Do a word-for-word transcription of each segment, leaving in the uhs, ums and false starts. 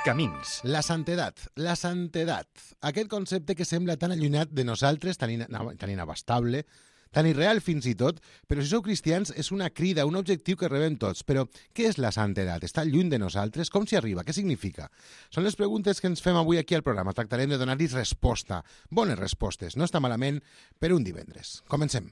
Camins. La santedat, la santedat. Aquest concepte que sembla tan allunyat de nosaltres, tan, in tan inabastable, tan irreal fins i tot, però si sou cristians és una crida, un objectiu que rebem tots. Però què és la santedat? Està lluny de nosaltres? Com s'hi arriba? Què significa? Són les preguntes que ens fem avui aquí al programa. Tractarem de donar-hi resposta. Bones respostes. No està malament per un divendres. Comencem.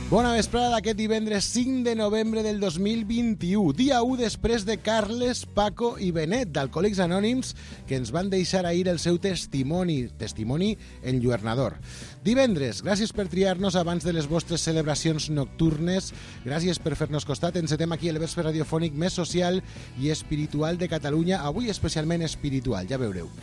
Bona vesprada d'aquest divendres cinc de novembre del dos mil vint-i-u, dia u després de Carles, Paco i Benet, d'Alcohòlics Anònims, que ens van deixar ahir el seu testimoni, testimoni enlluernador. Divendres, gràcies per triar-nos abans de les vostres celebracions nocturnes, gràcies per fer-nos costat, encetem aquí el vespre radiofònic més social i espiritual de Catalunya, avui especialment espiritual, ja veureu.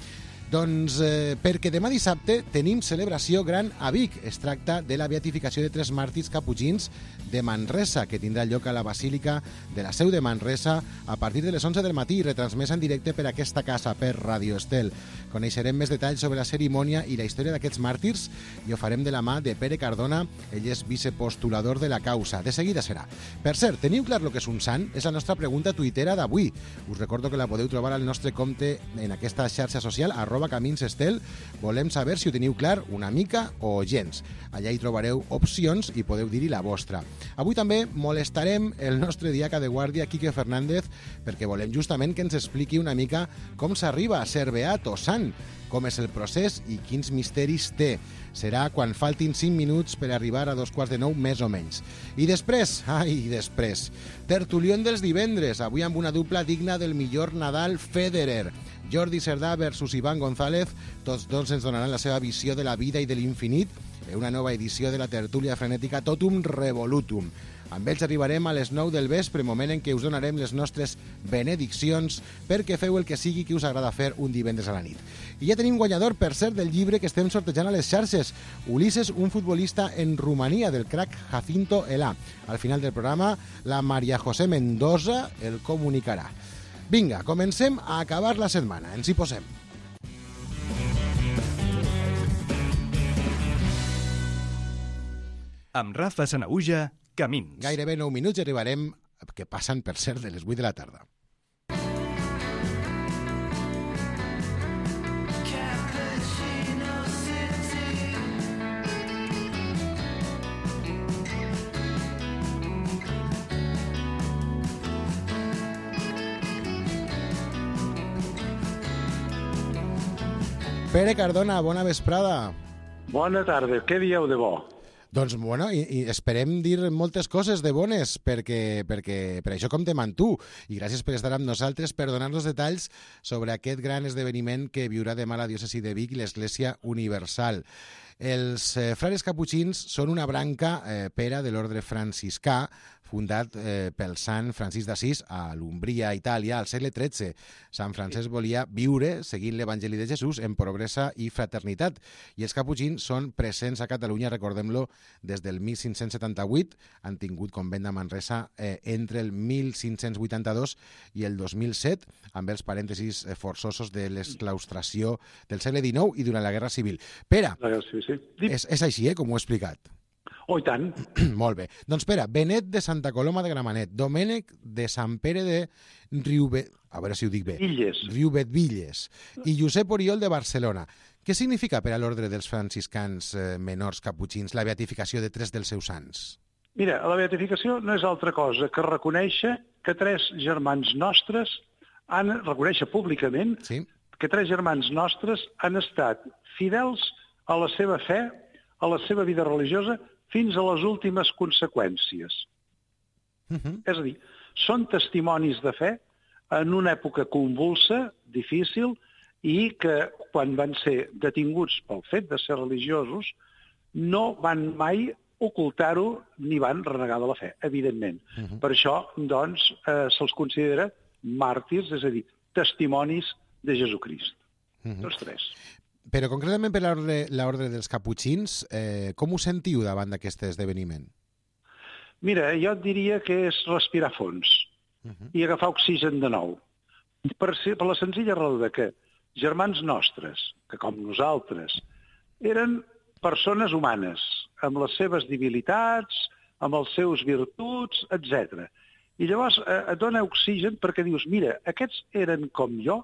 Doncs eh, perquè demà dissabte tenim celebració gran a Vic. Es tracta de la beatificació de tres màrtirs caputxins de Manresa, que tindrà lloc a la Basílica de la Seu de Manresa a partir de les onze del matí, retransmesa en directe per aquesta casa, per Radio Estel. Coneixerem més detalls sobre la cerimònia i la història d'aquests màrtirs i ho farem de la mà de Pere Cardona, ell és vicepostulador de la causa. De seguida serà. Per cert, teniu clar el que és un sant? És la nostra pregunta tuitera d'avui. Us recordo que la podeu trobar al nostre compte en aquesta xarxa social, arroba Camins Estel. Volem saber si ho teniu clar una mica o gens. Allà hi trobareu opcions i podeu dir-hi la vostra. Avui també molestarem el nostre diaca de guàrdia, Quique Fernández, perquè volem justament que ens expliqui una mica com s'arriba a ser beat o sant, com és el procés i quins misteris té. Serà quan faltin cinc minuts per arribar a dos quarts de nou, més o menys. I després, ai, després, tertulión dels divendres, avui amb una dupla digna del millor Nadal Federer. Jordi Cerdà versus Iván González, tots dos ens donaran la seva visió de la vida i de l'infinit en una nova edició de la tertúlia frenètica Totum Revolutum. Amb ells arribarem a les nou del vespre, moment en què us donarem les nostres benediccions perquè feu el que sigui que us agrada fer un divendres a la nit. I ja tenim guanyador, per cert, del llibre que estem sortejant a les xarxes. Ulises, un futbolista en Romania, del crack Jacinto Elà. Al final del programa, la Maria José Mendoza el comunicarà. Vinga, comencem a acabar la setmana. Ens hi posem. Amb Rafa Sanaüja, Camins. Gairebé nou minuts i arribarem, que passen per ser de les vuit de la tarda. Pere Cardona, bona vesprada. Bona tarda, què dieu de bo? Doncs, bueno, i, i esperem dir moltes coses de bones, perquè, perquè per això comptem amb tu. I gràcies per estar amb nosaltres, per donar-nos detalls sobre aquest gran esdeveniment que viurà demà la diòcesi de Vic i l'Església Universal. Els eh, frares caputxins són una branca eh, pera de l'ordre franciscà, fundat eh, pel sant Francisc d'Assís a l'Umbria, Itàlia, al segle tretze. Sant Francesc volia viure seguint l'Evangeli de Jesús en pobresa i fraternitat. I els caputxins són presents a Catalunya, recordem-lo, des del mil cinc-cents setanta-vuit. Han tingut convent a Manresa eh, entre el mil cinc-cents vuitanta-dos i el dos mil set, amb els parèntesis eh, forçosos de l'esclaustració del segle dinou i durant la Guerra Civil. Pere, Sí, sí. és, és així, eh, com ho he explicat. Oh, i tant. Molt bé. Doncs espera, Benet de Santa Coloma de Gramenet, Domènec de Sant Pere de Riubet, a veure si ho dic bé, Villes. Riubet-Villes, i Josep Oriol de Barcelona. Què significa per a l'ordre dels franciscans eh, menors caputxins la beatificació de tres dels seus sants? Mira, la beatificació no és altra cosa que reconèixer que tres germans nostres han, reconèixer públicament Sí? que tres germans nostres han estat fidels a la seva fe, a la seva vida religiosa, fins a les últimes conseqüències. Uh -huh. És a dir, són testimonis de fe en una època convulsa, difícil, i que quan van ser detinguts pel fet de ser religiosos no van mai ocultar-ho ni van renegar de la fe, evidentment. Uh -huh. Per això, doncs, eh, se'ls considera màrtirs, és a dir, testimonis de Jesucrist. Uh -huh. Tots tres. Però concretament per l'ordre dels caputxins, eh, com us sentiu davant d'aquest esdeveniment? Mira, jo et diria que és respirar fons uh-huh. i agafar oxigen de nou. Per, ser, per la senzilla raó de que germans nostres, que com nosaltres, eren persones humanes, amb les seves debilitats, amb els seus virtuts, etcètera. I llavors eh, et dona oxigen perquè dius, mira, aquests eren com jo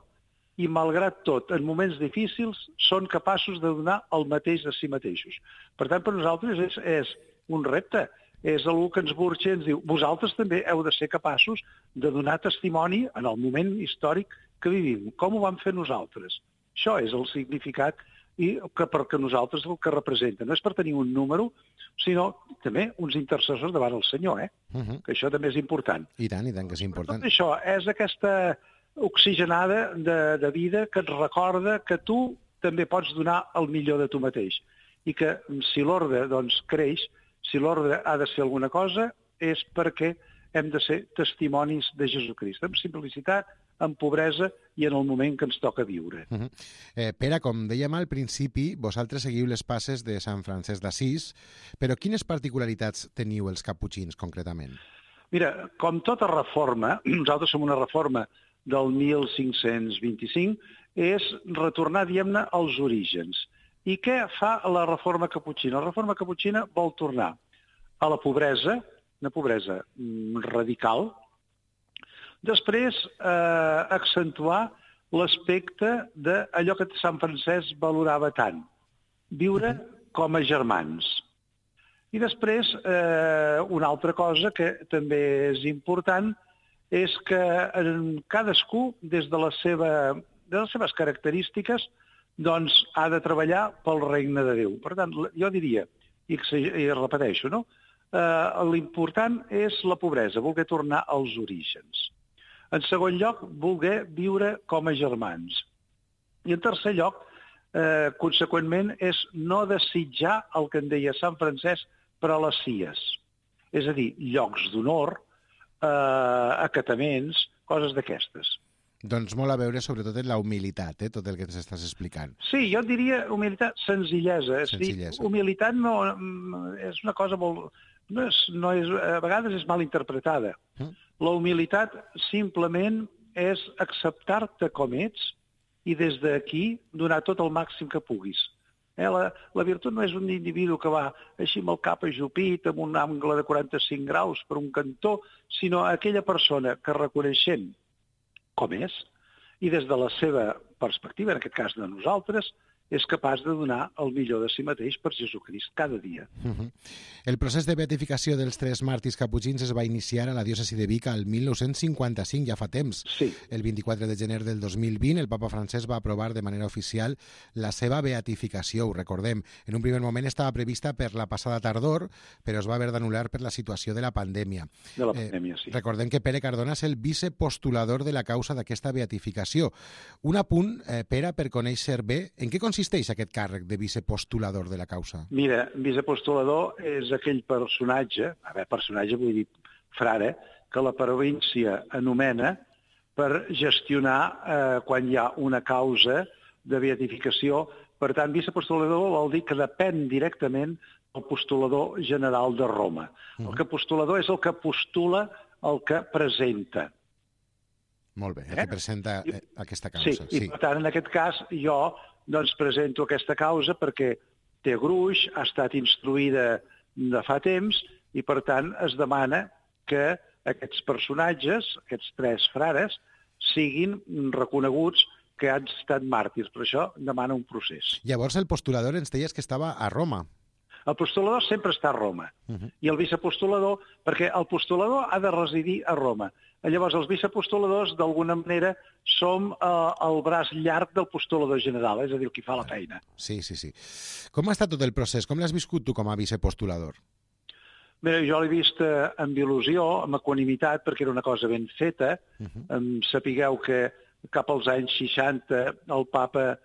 i, malgrat tot, en moments difícils, són capaços de donar el mateix de si mateixos. Per tant, per nosaltres és, és un repte. És algú que ens burxa i ens diu, vosaltres també heu de ser capaços de donar testimoni en el moment històric que vivim. Com ho vam fer nosaltres? Això és el significat i que perquè nosaltres el que representa. No és per tenir un número, sinó també uns intercessors davant el Senyor, eh? Uh-huh. Que això també és important. I tant, i tant que és important. Tot això és aquesta oxigenada de, de vida que et recorda que tu també pots donar el millor de tu mateix. I que si l'ordre doncs, creix, si l'ordre ha de ser alguna cosa, és perquè hem de ser testimonis de Jesucrist, amb simplicitat, amb pobresa i en el moment que ens toca viure. Uh-huh. eh, Pere, com dèiem al principi, vosaltres seguiu les passes de Sant Francesc d'Assís, però quines particularitats teniu els caputxins, concretament? Mira, com tota reforma, nosaltres som una reforma del mil cinc-cents vint-i-cinc, és retornar, diguem-ne, als orígens. I què fa la reforma caputxina? La reforma caputxina vol tornar a la pobresa, una pobresa radical, després eh, accentuar l'aspecte d'allò que Sant Francesc valorava tant, viure com a germans. I després, eh, una altra cosa que també és important és que cadascú, des de, la seva, de les seves característiques, doncs ha de treballar pel regne de Déu. Per tant, jo diria, i, i repeteixo, no? Eh, l'important és la pobresa, voler tornar als orígens. En segon lloc, voler viure com a germans. I en tercer lloc, eh, conseqüentment, és no desitjar el que en deia Sant Francesc per a les cies. És a dir, llocs d'honor, eh, acataments, coses d'aquestes. Doncs molt a veure, sobretot, en la humilitat, eh, tot el que ens estàs explicant. Sí, jo diria humilitat, senzillesa. Senzillesa. És dir, humilitat no, és una cosa molt... No és, no és, a vegades és mal interpretada. Mm. La humilitat simplement és acceptar-te com ets i des d'aquí donar tot el màxim que puguis. Eh, la, la virtut no és un individu que va així amb el cap ajupit, amb un angle de quaranta-cinc graus per un cantó, sinó aquella persona que reconeixem com és, i des de la seva perspectiva, en aquest cas de nosaltres, és capaç de donar el millor de si mateix per Jesucrist cada dia. Uh-huh. El procés de beatificació dels tres màrtirs caputxins es va iniciar a la diòcesi de Vic al mil nou-cents cinquanta-cinc, ja fa temps. Sí. El vint-i-quatre de gener del dos mil vint, el papa Francesc va aprovar de manera oficial la seva beatificació, ho recordem. En un primer moment estava prevista per la passada tardor, però es va haver d'anul·lar per la situació de la pandèmia. De la pandèmia, eh, sí. Recordem que Pere Cardona és el vicepostulador de la causa d'aquesta beatificació. Un apunt, eh, Pere, per conèixer bé, en què consisteix consisteix aquest càrrec de vicepostulador de la causa? Mira, vicepostulador és aquell personatge, a veure, personatge vull dir frare, que la província anomena per gestionar eh, quan hi ha una causa de beatificació. Per tant, vicepostulador vol dir que depèn directament del postulador general de Roma. Uh-huh. El que postulador és el que postula el que presenta. Molt bé, el que presenta eh, aquesta causa. Sí, sí, i per tant, en aquest cas, jo doncs presento aquesta causa perquè té gruix, ha estat instruïda de fa temps i, per tant, es demana que aquests personatges, aquests tres frares, siguin reconeguts que han estat màrtirs. Per això demana un procés. Llavors, el postulador ens deies que estava a Roma. El postulador sempre està a Roma. Uh-huh. I el vicepostulador, perquè el postulador ha de residir a Roma. Llavors, els vicepostuladors, d'alguna manera, som eh, el braç llarg del postulador general, és a dir, el qui fa la feina. Sí, sí, sí. Com ha estat tot el procés? Com l'has viscut tu com a vicepostulador? Bé, jo l'he vist eh, amb il·lusió, amb equanimitat, perquè era una cosa ben feta. Uh-huh. Em sapigueu que cap als anys seixanta el papa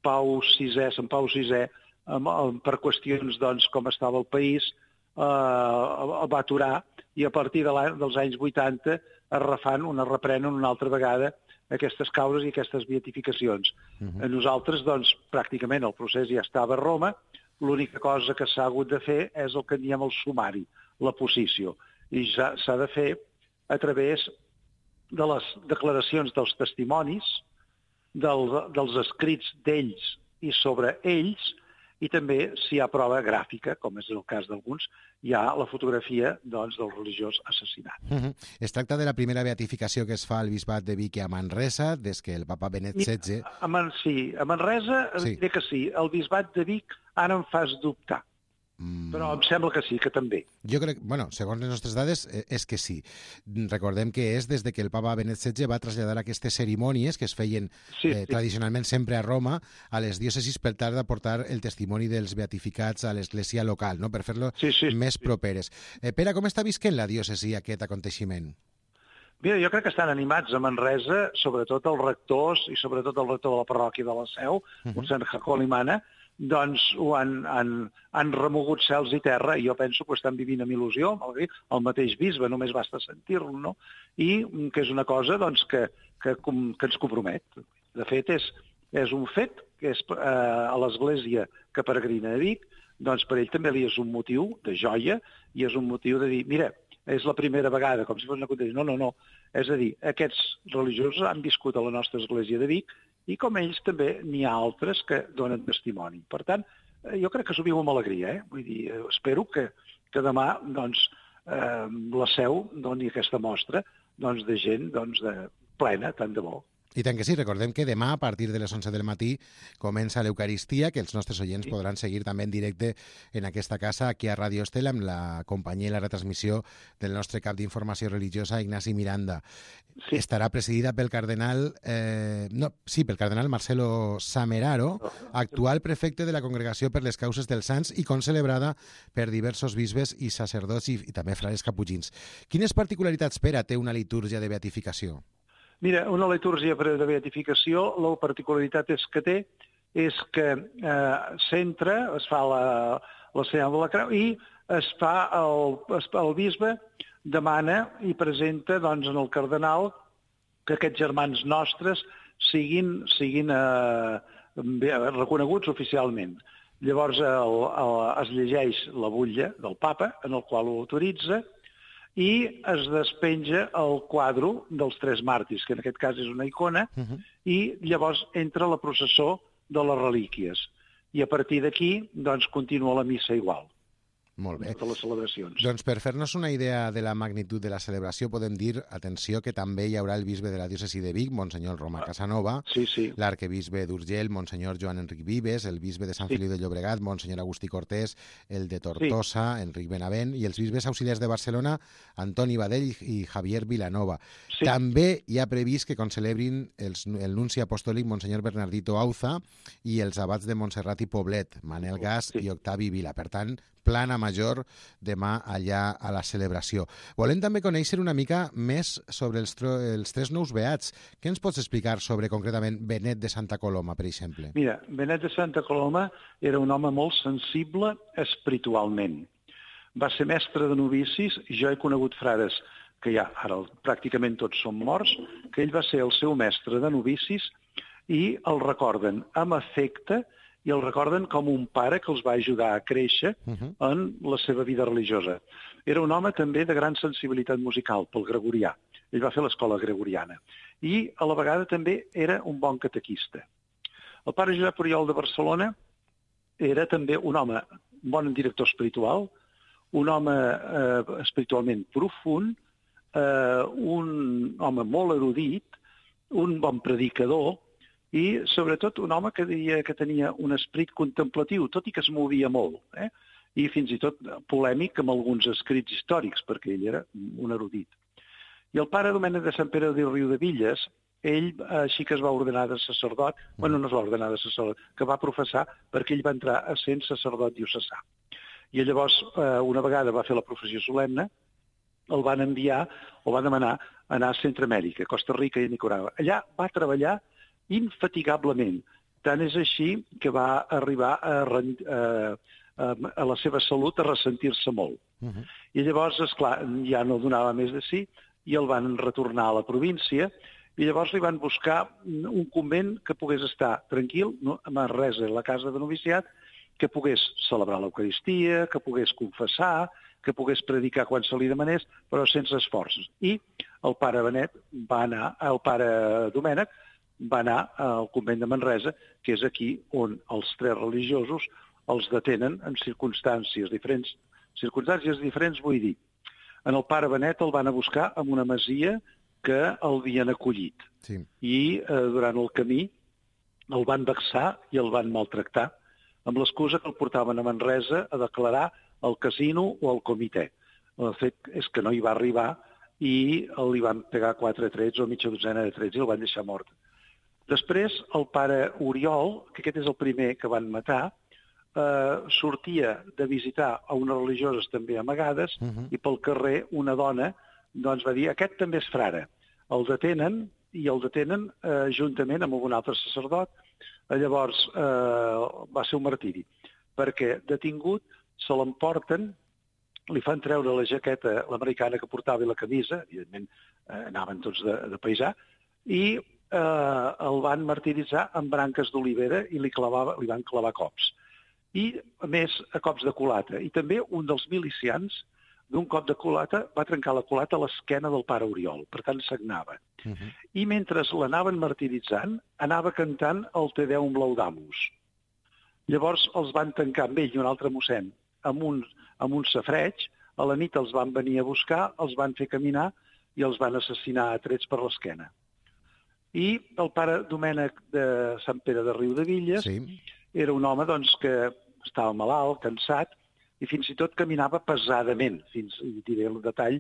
Pau sisè, Sant Pau sisè, amb, amb, per qüestions doncs, com estava el país, eh, el va aturar, i a partir de dels anys vuitanta es refan, una reprenen una altra vegada aquestes causes i aquestes beatificacions. Uh-huh. A nosaltres, doncs, pràcticament el procés ja estava a Roma, l'única cosa que s'ha hagut de fer és el que en diem el sumari, la posició, i ja s'ha de fer a través de les declaracions dels testimonis, del, dels escrits d'ells i sobre ells, i també, si hi ha prova gràfica, com és el cas d'alguns, hi ha la fotografia doncs, del religiós assassinat. Uh-huh. Es tracta de la primera beatificació que es fa al bisbat de Vic i a Manresa, des que el papa Benet setze... A Man, sí, a Manresa sí. diré que sí. El bisbat de Vic ara em fas dubtar. Mm. Però em sembla que sí, que també. Jo crec, bueno, segons les nostres dades, és que sí. Recordem que és des de que el papa Benet setze va traslladar aquestes cerimònies que es feien sí, eh, sí. tradicionalment sempre a Roma, a les diòcesis per tal d'aportar el testimoni dels beatificats a l'església local, no? Per fer-lo sí, sí, més sí. properes. Eh, Pere, com està visquent la diòcesi aquest aconteixement? Mira, jo crec que estan animats a Manresa, sobretot els rectors i sobretot el rector de la parròquia de la Seu, uh-huh. Mossèn Jacó Limana, doncs ho han, han, han remogut cels i terra i jo penso que ho estan vivint amb il·lusió, el mateix bisbe, només basta sentir-lo, no? I que és una cosa doncs, que, que, que ens compromet. De fet, és, és un fet que és eh, a l'església que peregrina a Vic, doncs per ell també li és un motiu de joia i és un motiu de dir, mira, és la primera vegada, com si fos una contesa. No, no, no. És a dir, aquests religiosos han viscut a la nostra església de Vic i com ells també n'hi ha altres que donen testimoni. Per tant, jo crec que s'ho viu amb alegria. Eh? Vull dir, espero que, que demà doncs, eh, la Seu doni aquesta mostra doncs, de gent doncs, de, plena, tant de bo. I tant que sí, recordem que demà, a partir de les onze del matí, comença l'Eucaristia, que els nostres oients sí. podran seguir també en directe en aquesta casa, aquí a Ràdio Estel, amb la companyia i la retransmissió del nostre cap d'informació religiosa, Ignasi Miranda. Sí. Estarà presidida pel cardenal, eh, no, sí, pel cardenal Marcelo Sameraro, actual prefecte de la Congregació per les Causes dels Sants i concelebrada per diversos bisbes i sacerdots i, i també frares caputxins. Quines particularitats, Pere, té una litúrgia de beatificació? Mira, una litúrgia de beatificació, la particularitat és que té és que eh, s'entra, es fa la, la senyal de la creu i es fa el, el bisbe demana i presenta doncs, en el cardenal que aquests germans nostres siguin, siguin eh, reconeguts oficialment. Llavors el, el, es llegeix la butlla del papa, en el qual ho autoritza, i es despenja el quadre dels tres màrtirs, que en aquest cas és una icona, uh-huh. i llavors entra la processó de les relíquies. I a partir d'aquí, doncs, continua la missa igual. Molt bé. De les celebracions. Doncs per fer-nos una idea de la magnitud de la celebració podem dir, atenció, que també hi haurà el bisbe de la diòcesi de Vic, Monsenyor Roma Casanova, sí, sí. l'arquebisbe d'Urgell, Monsenyor Joan Enric Vives, el bisbe de Sant sí. Feliu de Llobregat, Monsenyor Agustí Cortés, el de Tortosa, sí. Enric Benavent, i els bisbes auxiliars de Barcelona, Antoni Badell i Javier Vilanova. Sí. També hi ha previst que concelebrin els, el nunci apostòlic Monsenyor Bernardito Auza i els abats de Montserrat i Poblet, Manel Gas sí. i Octavi Vila. Per tant, plana major demà allà a la celebració. Volem també conèixer una mica més sobre els, els tres nous beats. Què ens pots explicar sobre, concretament, Benet de Santa Coloma, per exemple? Mira, Benet de Santa Coloma era un home molt sensible espiritualment. Va ser mestre de novicis, i jo he conegut frares que ja ara pràcticament tots són morts, que ell va ser el seu mestre de novicis i el recorden amb afecte i el recorden com un pare que els va ajudar a créixer uh-huh. en la seva vida religiosa. Era un home també de gran sensibilitat musical, pel gregorià. Ell va fer l'escola gregoriana. I a la vegada també era un bon catequista. El pare Josep Oriol de Barcelona era també un home, un bon director espiritual, un home eh, espiritualment profund, eh, un home molt erudit, un bon predicador, i sobretot un home que deia que tenia un esperit contemplatiu, tot i que es movia molt, eh? I fins i tot polèmic amb alguns escrits històrics, perquè ell era un erudit. I el pare Domènec de Sant Pere de Riudevilles, ell així que es va ordenar de sacerdot, mm. bueno, no es va ordenar de sacerdot, que va professar perquè ell va entrar a sent sacerdot diocesà. I llavors, una vegada va fer la professió solemne, el van enviar, o va demanar, anar a Centreamèrica, Costa Rica i Nicaragua. Allà va treballar infatigablement. Tant és així que va arribar a, a, a, a la seva salut a ressentir-se molt. Uh-huh. I llavors, esclar, ja no donava més de si i el van retornar a la província i llavors li van buscar un convent que pogués estar tranquil, no, a Manresa, a la casa de noviciat, que pogués celebrar l'Eucaristia, que pogués confessar, que pogués predicar quan se li demanés, però sense esforços. I el pare Benet va anar, el pare Domènec, va anar al convent de Manresa, que és aquí on els tres religiosos els detenen en circumstàncies diferents. Circumstàncies diferents vull dir, en el pare Benet el van a buscar en una masia que el havien acollit. Sí. I eh, durant el camí el van vexar i el van maltractar amb l'excusa que el portaven a Manresa a declarar al casino o al comitè. El fet és que no hi va arribar i li van pegar quatre trets o mitja dotzena de trets i el van deixar mort. Després, el pare Oriol, que aquest és el primer que van matar, eh, sortia de visitar a unes religioses també amagades uh-huh. i pel carrer una dona doncs, va dir aquest també és frare. El detenen i el detenen eh, juntament amb un altre sacerdot. Llavors eh, va ser un martiri, perquè detingut se l'emporten, li fan treure la jaqueta, l'americana que portava i la camisa, evidentment eh, anaven tots de, de paisà, i eh, el van martiritzar amb branques d'olivera i li, clavava, li van clavar cops. I, a més, a cops de culata. I també un dels milicians, d'un cop de culata, va trencar la culata a l'esquena del pare Oriol, per tant sagnava. Uh-huh. I mentre l'anaven martiritzant, anava cantant el Te Deum Laudamus. Llavors els van tancar amb ell i un altre mossèn amb un, amb un safreig, a la nit els van venir a buscar, els van fer caminar i els van assassinar a trets per l'esquena. I el pare Domènec de Sant Pere de Riudevilles sí. era un home doncs, que estava malalt, cansat, i fins i tot caminava pesadament, fins, i diré el detall,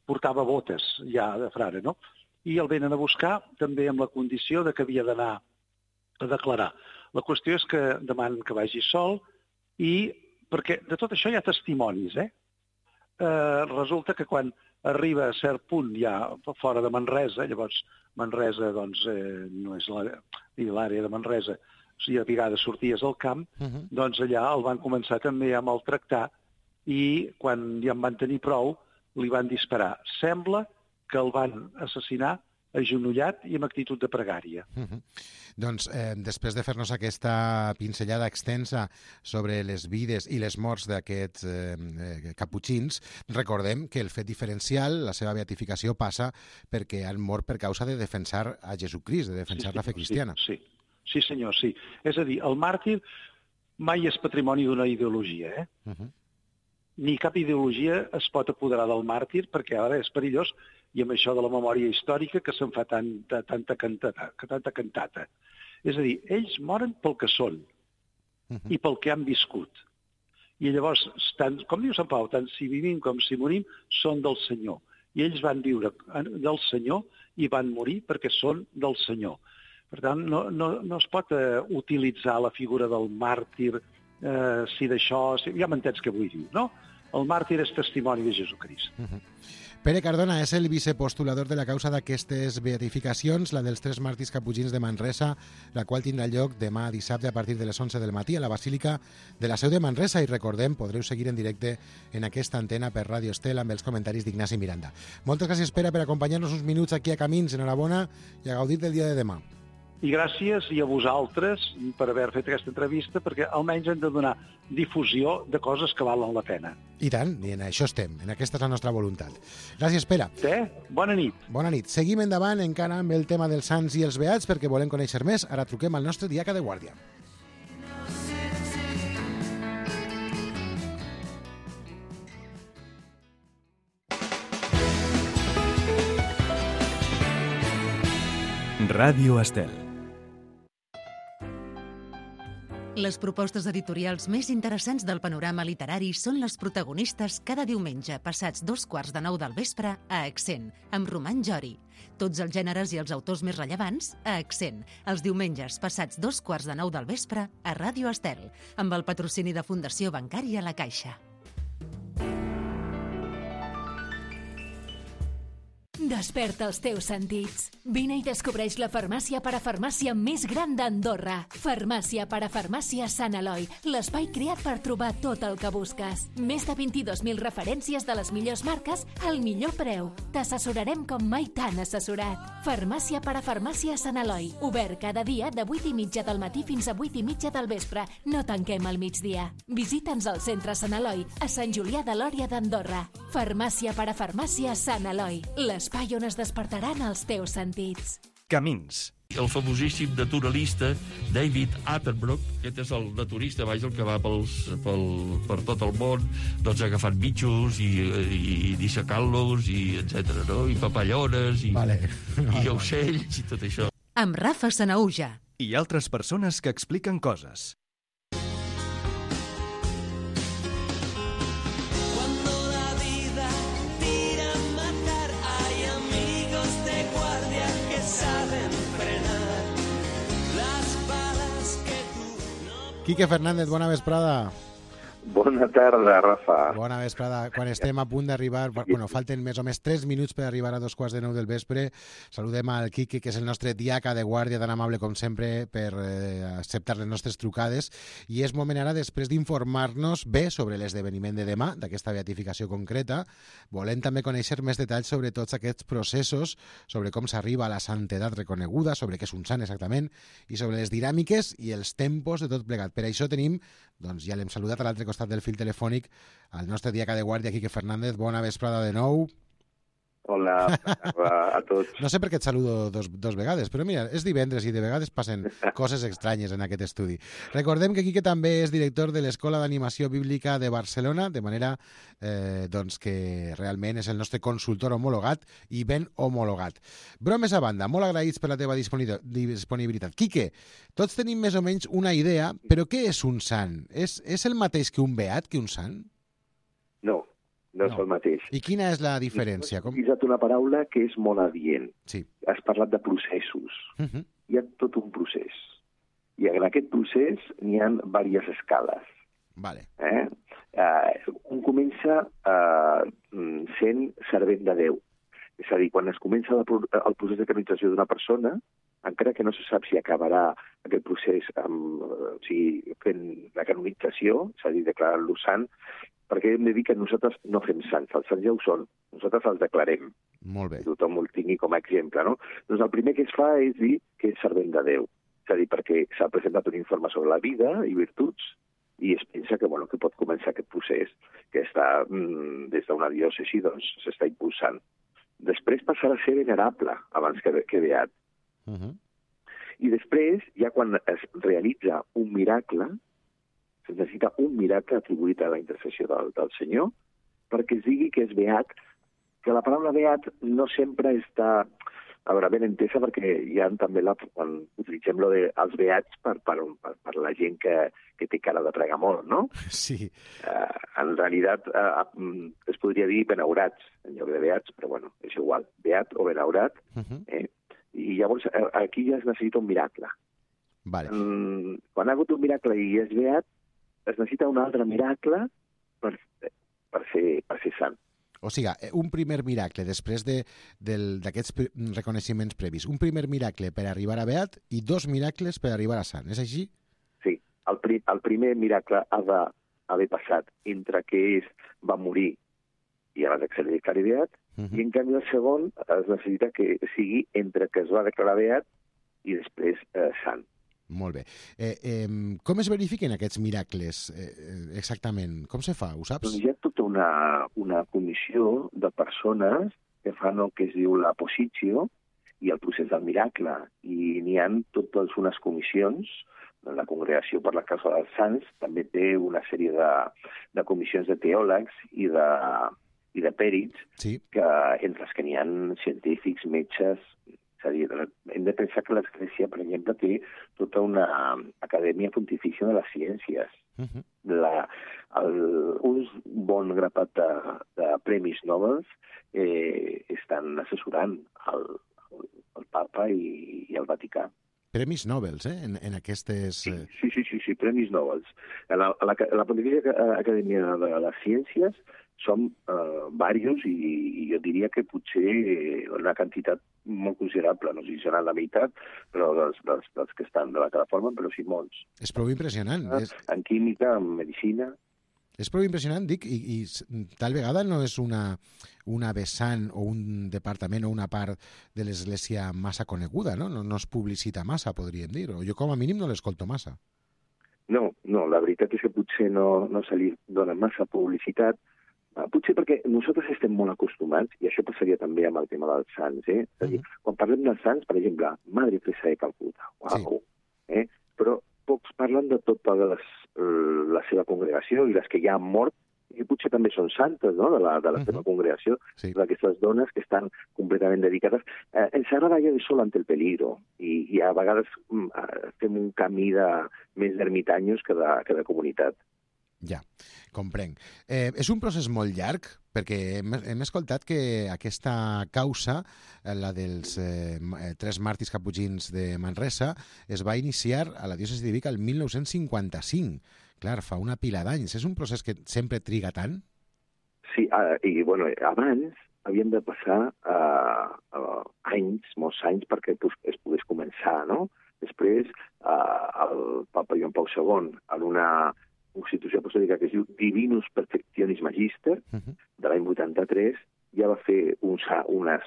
portava botes ja de frare, no? I el venen a buscar també amb la condició de que havia d'anar a declarar. La qüestió és que demanen que vagi sol i, perquè de tot això hi ha testimonis, eh? eh resulta que quan arriba a cert punt ja fora de Manresa, llavors Manresa doncs, eh, no és l'àrea de Manresa, si a vegades sorties al camp, uh-huh. doncs allà el van començar també a maltractar i quan ja en van tenir prou li van disparar. Sembla que el van assassinar agenollat i amb actitud de pregària. Uh-huh. Doncs eh, després de fer-nos aquesta pinzellada extensa sobre les vides i les morts d'aquests eh, eh, caputxins, recordem que el fet diferencial, la seva beatificació, passa perquè han mort per causa de defensar a Jesucrist, de defensar sí, la fe cristiana. Sí, sí. Sí, senyor, sí. És a dir, el màrtir mai és patrimoni d'una ideologia, eh? Uh-huh. Ni cap ideologia es pot apoderar del màrtir perquè ara és perillós i amb això de la memòria històrica que se'n fa tanta, tanta, cantata, tanta cantata. És a dir, ells moren pel que són uh-huh. i pel que han viscut. I llavors, tant, com diu Sant Pau, tant si vivim com si morim, són del Senyor. I ells van viure del Senyor i van morir perquè són del Senyor. Per tant, no, no, no es pot eh, utilitzar la figura del màrtir, eh, si d'això... Si, ja m'entens què vull dir, no? El màrtir és testimoni de Jesucrist. Uh-huh. Pere Cardona és el vicepostulador de la causa d'aquestes beatificacions, la dels tres màrtirs caputxins de Manresa, la qual tindrà lloc demà dissabte a partir de les onze del matí a la Basílica de la Seu de Manresa. I recordem, podreu seguir en directe en aquesta antena per Ràdio Estel amb els comentaris d'Ignasi Miranda. Moltes gràcies, Pere, per acompanyar-nos uns minuts aquí a Camins. Enhorabona i a gaudir del dia de demà. I gràcies i a vosaltres per haver fet aquesta entrevista, perquè almenys hem de donar difusió de coses que valen la pena. I tant, i en això estem, en aquesta és la nostra voluntat. Gràcies, Pere. Sí, bona nit. Bona nit. Seguim endavant encara amb el tema dels sants i els beats, perquè volem conèixer més. Ara truquem al nostre diaca de guàrdia. Ràdio Estel. Les propostes editorials més interessants del panorama literari són les protagonistes cada diumenge passats dos quarts de nou del vespre a Accent, amb Roman Jori. Tots els gèneres i els autors més rellevants a Accent, els diumenges passats dos quarts de nou del vespre a Ràdio Estel, amb el patrocini de Fundació Bancària La Caixa. Desperta els teus sentits. Vine i descobreix la farmàcia parafarmàcia més gran d'Andorra. Farmàcia parafarmàcia Sant Eloi, l'espai creat per trobar tot el que busques. Més de vint-i-dos mil referències de les millors marques al millor preu. T'assessorarem com mai t'han assessorat. Farmàcia parafarmàcia Sant Eloi, obert cada dia de vuit i mitja del matí fins a vuit i mitja del vespre. No tanquem al migdia. Visita'ns al centre Sant Eloi, a Sant Julià de Lòria d'Andorra. Farmàcia parafarmàcia Sant Eloi, l'espai on es despertaran els teus sentits. Camins, El famosíssim naturalista David Attenborough, aquest és el naturista, vaja, el que va pels, pel, per tot el món, doncs agafant bitxos i, i, i dissecant-los, i etcètera, no? I papallones, i, Vale. i ocells, i tot això. Amb Rafa Sanaüja. I altres persones que expliquen coses. Quique Fernández, bona vesprada. Bona tarda, Rafa. Bona vesprada. Quan estem a punt d'arribar, bueno, falten més o més tres minuts per arribar a dos quarts de nou del vespre, saludem al Quique, que és el nostre diaca de guàrdia, tan amable com sempre per eh, acceptar les nostres trucades, i és moment ara, després d'informar-nos bé sobre l'esdeveniment de demà, d'aquesta beatificació concreta, volem també conèixer més detalls sobre tots aquests processos, sobre com s'arriba a la santedat reconeguda, sobre què és un sant exactament, i sobre les dinàmiques i els tempos de tot plegat. Per això tenim, doncs ja l'hem saludat a l'altre costat del fil telefònic, al nostre diaca de guàrdia, Quique Fernández. Bona vesprada de nou. Hola a tots. No sé per què et saludo dos, dos vegades, però mira, és divendres i de vegades passen coses estranyes en aquest estudi. Recordem que Quique també és director de l'Escola d'Animació Bíblica de Barcelona, de manera eh, doncs que realment és el nostre consultor homologat i ben homologat. Bromes a banda, molt agraïts per la teva disponibilitat. Quique, tots tenim més o menys una idea, però què és un sant? És, és el mateix que un beat, que un sant? No. No, no és el mateix. I quina és la diferència? Com... He usat una paraula que és molt adient. Sí. Has parlat de processos. Uh -huh. Hi ha tot un procés. I en aquest procés n'hi ha diverses escales. Vale. Eh? Uh, un comença uh, sent servent de Déu. És a dir, quan es comença el procés de canonització d'una persona, encara que no se sap si acabarà aquest procés amb, o sigui, fent la canonització, és a dir, declarant-lo sant, perquè hem de dir que nosaltres no fem sants, els sants ja ho són, nosaltres els declarem. Molt bé. Que tothom ho tingui com a exemple, no? Doncs el primer que es fa és dir que és servent de Déu, és a dir, perquè s'ha presentat un informe sobre la vida i virtuts i es pensa que, bueno, que pot començar aquest procés que està, mmm, des d'una diòcesi, doncs, s'està impulsant. Després passarà a ser venerable abans que, que beat. Uh -huh. I després, ja quan es realitza un miracle, es necessita un miracle atribuït a la intercessió del, del Senyor perquè es digui que és beat, que la paraula beat no sempre està a veure, ben entesa, perquè hi ha també la, quan utilitzem lo de els beats per, per, per, per la gent que, que té cara de pregar molt, no? Sí. Uh, en realitat uh, es podria dir benaurats en lloc de beats, però bueno, és igual, beat o benaurat. Uh -huh. eh? I llavors aquí ja es necessita un miracle. Vale. Um, quan ha hagut un miracle i és beat, es necessita un altre miracle per, per, ser, per ser sant. O sigui, un primer miracle després d'aquests de, reconeixements previs. Un primer miracle per arribar a beat i dos miracles per arribar a sant. És així? Sí. El, pri, el primer miracle ha d'haver passat entre que és, va morir i abans que se li declari beat, uh -huh. i en canvi el segon es necessita que sigui entre que es va declarar beat i després eh, sant. Molt bé. Eh, eh, com es verifiquen aquests miracles eh, exactament? Com se fa? Ho saps? Doncs hi ha tota una, una comissió de persones que fan el que es diu la positio i el procés del miracle. I n'hi ha totes unes comissions. La Congregació per la Causa dels Sants també té una sèrie de, de comissions de teòlegs i de, i de pèrits, sí. que, entre les que n'hi ha científics, metges. És a dir, hem de pensar que l'Església, per exemple, té tota una acadèmia pontifícia de les ciències. Uh -huh. la, el, un bon grapat de, de premis Nobel eh, estan assessorant el, el, el papa i, i el Vaticà. Premis Nobel, eh? En, en aquestes... Sí, sí, sí, sí, sí premis Nobel. A la, a la, a la Pontifícia Acadèmia de les Ciències som eh, diversos i, i jo diria que potser una quantitat molt considerable, no sé si serà la meitat, però dels, dels, dels que estan de la que la formen, però sí molts. És prou impressionant. Ah, és... En química, en medicina... És prou impressionant, dic, i, i tal vegada no és una, una vessant o un departament o una part de l'Església massa coneguda, no? No, no es publicita massa, podríem dir, o jo com a mínim no l'escolto massa. No, no, la veritat és que potser no, no se li dona massa publicitat, Potser perquè nosaltres estem molt acostumats, i això passaria també amb el tema dels sants, eh? És a dir, uh-huh. quan parlem dels sants, per exemple, Madre Teresa de Calcuta, uau, sí. eh? però pocs parlen de tota les, la seva congregació i les que ja han mort, i potser també són santes, no?, de la, de la uh-huh. seva congregació, sí. d'aquestes dones que estan completament dedicades. Eh, ens agrada ja de sol ante el peligro, i, i a vegades mm, fem un camí de més d'ermitanyos que de, que de comunitat. Ja, comprenc. Eh, és un procés molt llarg, perquè hem, hem escoltat que aquesta causa, la dels eh, tres màrtirs caputxins de Manresa, es va iniciar a la diòcesi de Vic el mil nou-cents cinquanta-cinc. Clar, fa una pila d'anys. És un procés que sempre triga tant? Sí, uh, i bueno, abans havien de passar uh, uh, anys, molts anys, perquè pues, es pogués començar, no? Després, uh, el papa Joan Pau segon, en una constitució apostòlica que es diu Divinus Perfectionis Magister, uh-huh. de l'any vuitanta-tres, ja va fer uns, unes,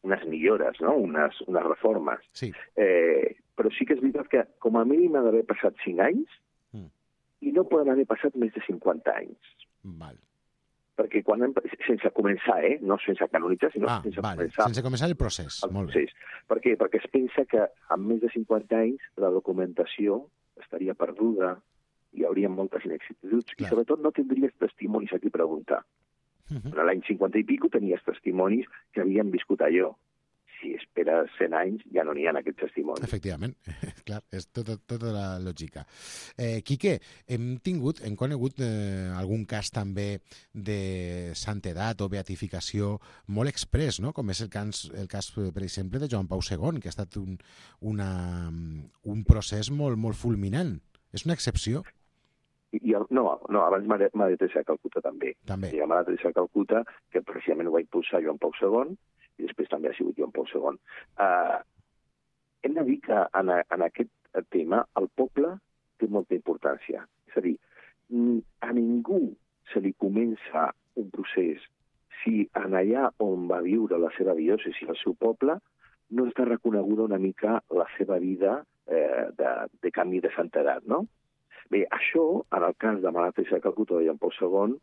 unes millores, no? unes, unes reformes. Sí. Eh, però sí que és veritat que com a mínim ha d'haver passat cinc anys mm. i no poden haver passat més de cinquanta anys. Val. Perquè quan hem, sense començar, eh? no sense canonitzar, sinó ah, sense vale. començar. Sense començar el procés. El Molt procés. bé. Per què? Perquè es pensa que amb més de cinquanta anys la documentació estaria perduda, hi hauria moltes inexactituds i sobretot no tindries testimonis a qui preguntar. Uh-huh. L'any cinquanta i pico tenies testimonis que havien viscut allò. Si esperes cent anys ja no n'hi ha aquests testimonis. Efectivament, clar, és tota, tota la lògica. Eh, Quique, hem tingut, hem conegut eh, algun cas també de santedat o beatificació molt express, no? Com és el cas, el cas, per exemple, de Joan Pau segon, que ha estat un, una, un procés molt, molt fulminant. És una excepció? I el, no, no, abans Madre Teresa de Calcuta també. També. I la Madre Teresa de Calcuta, que precisament ho va impulsar Joan Pau segon, i després també ha sigut Joan Pau segon. Uh, hem de dir que en, en aquest tema el poble té molta importància. És a dir, a ningú se li comença un procés si en allà on va viure la seva diòcesi, el seu poble, no està reconeguda una mica la seva vida eh, de, de canvi de santedat, no? Bé, això, en el cas de Madre Teresa de Calcuta de Joan Pau segon,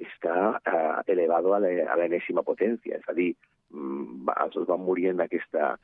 està eh, elevado a l'enèsima potència. És a dir, els dos van morir en aquesta...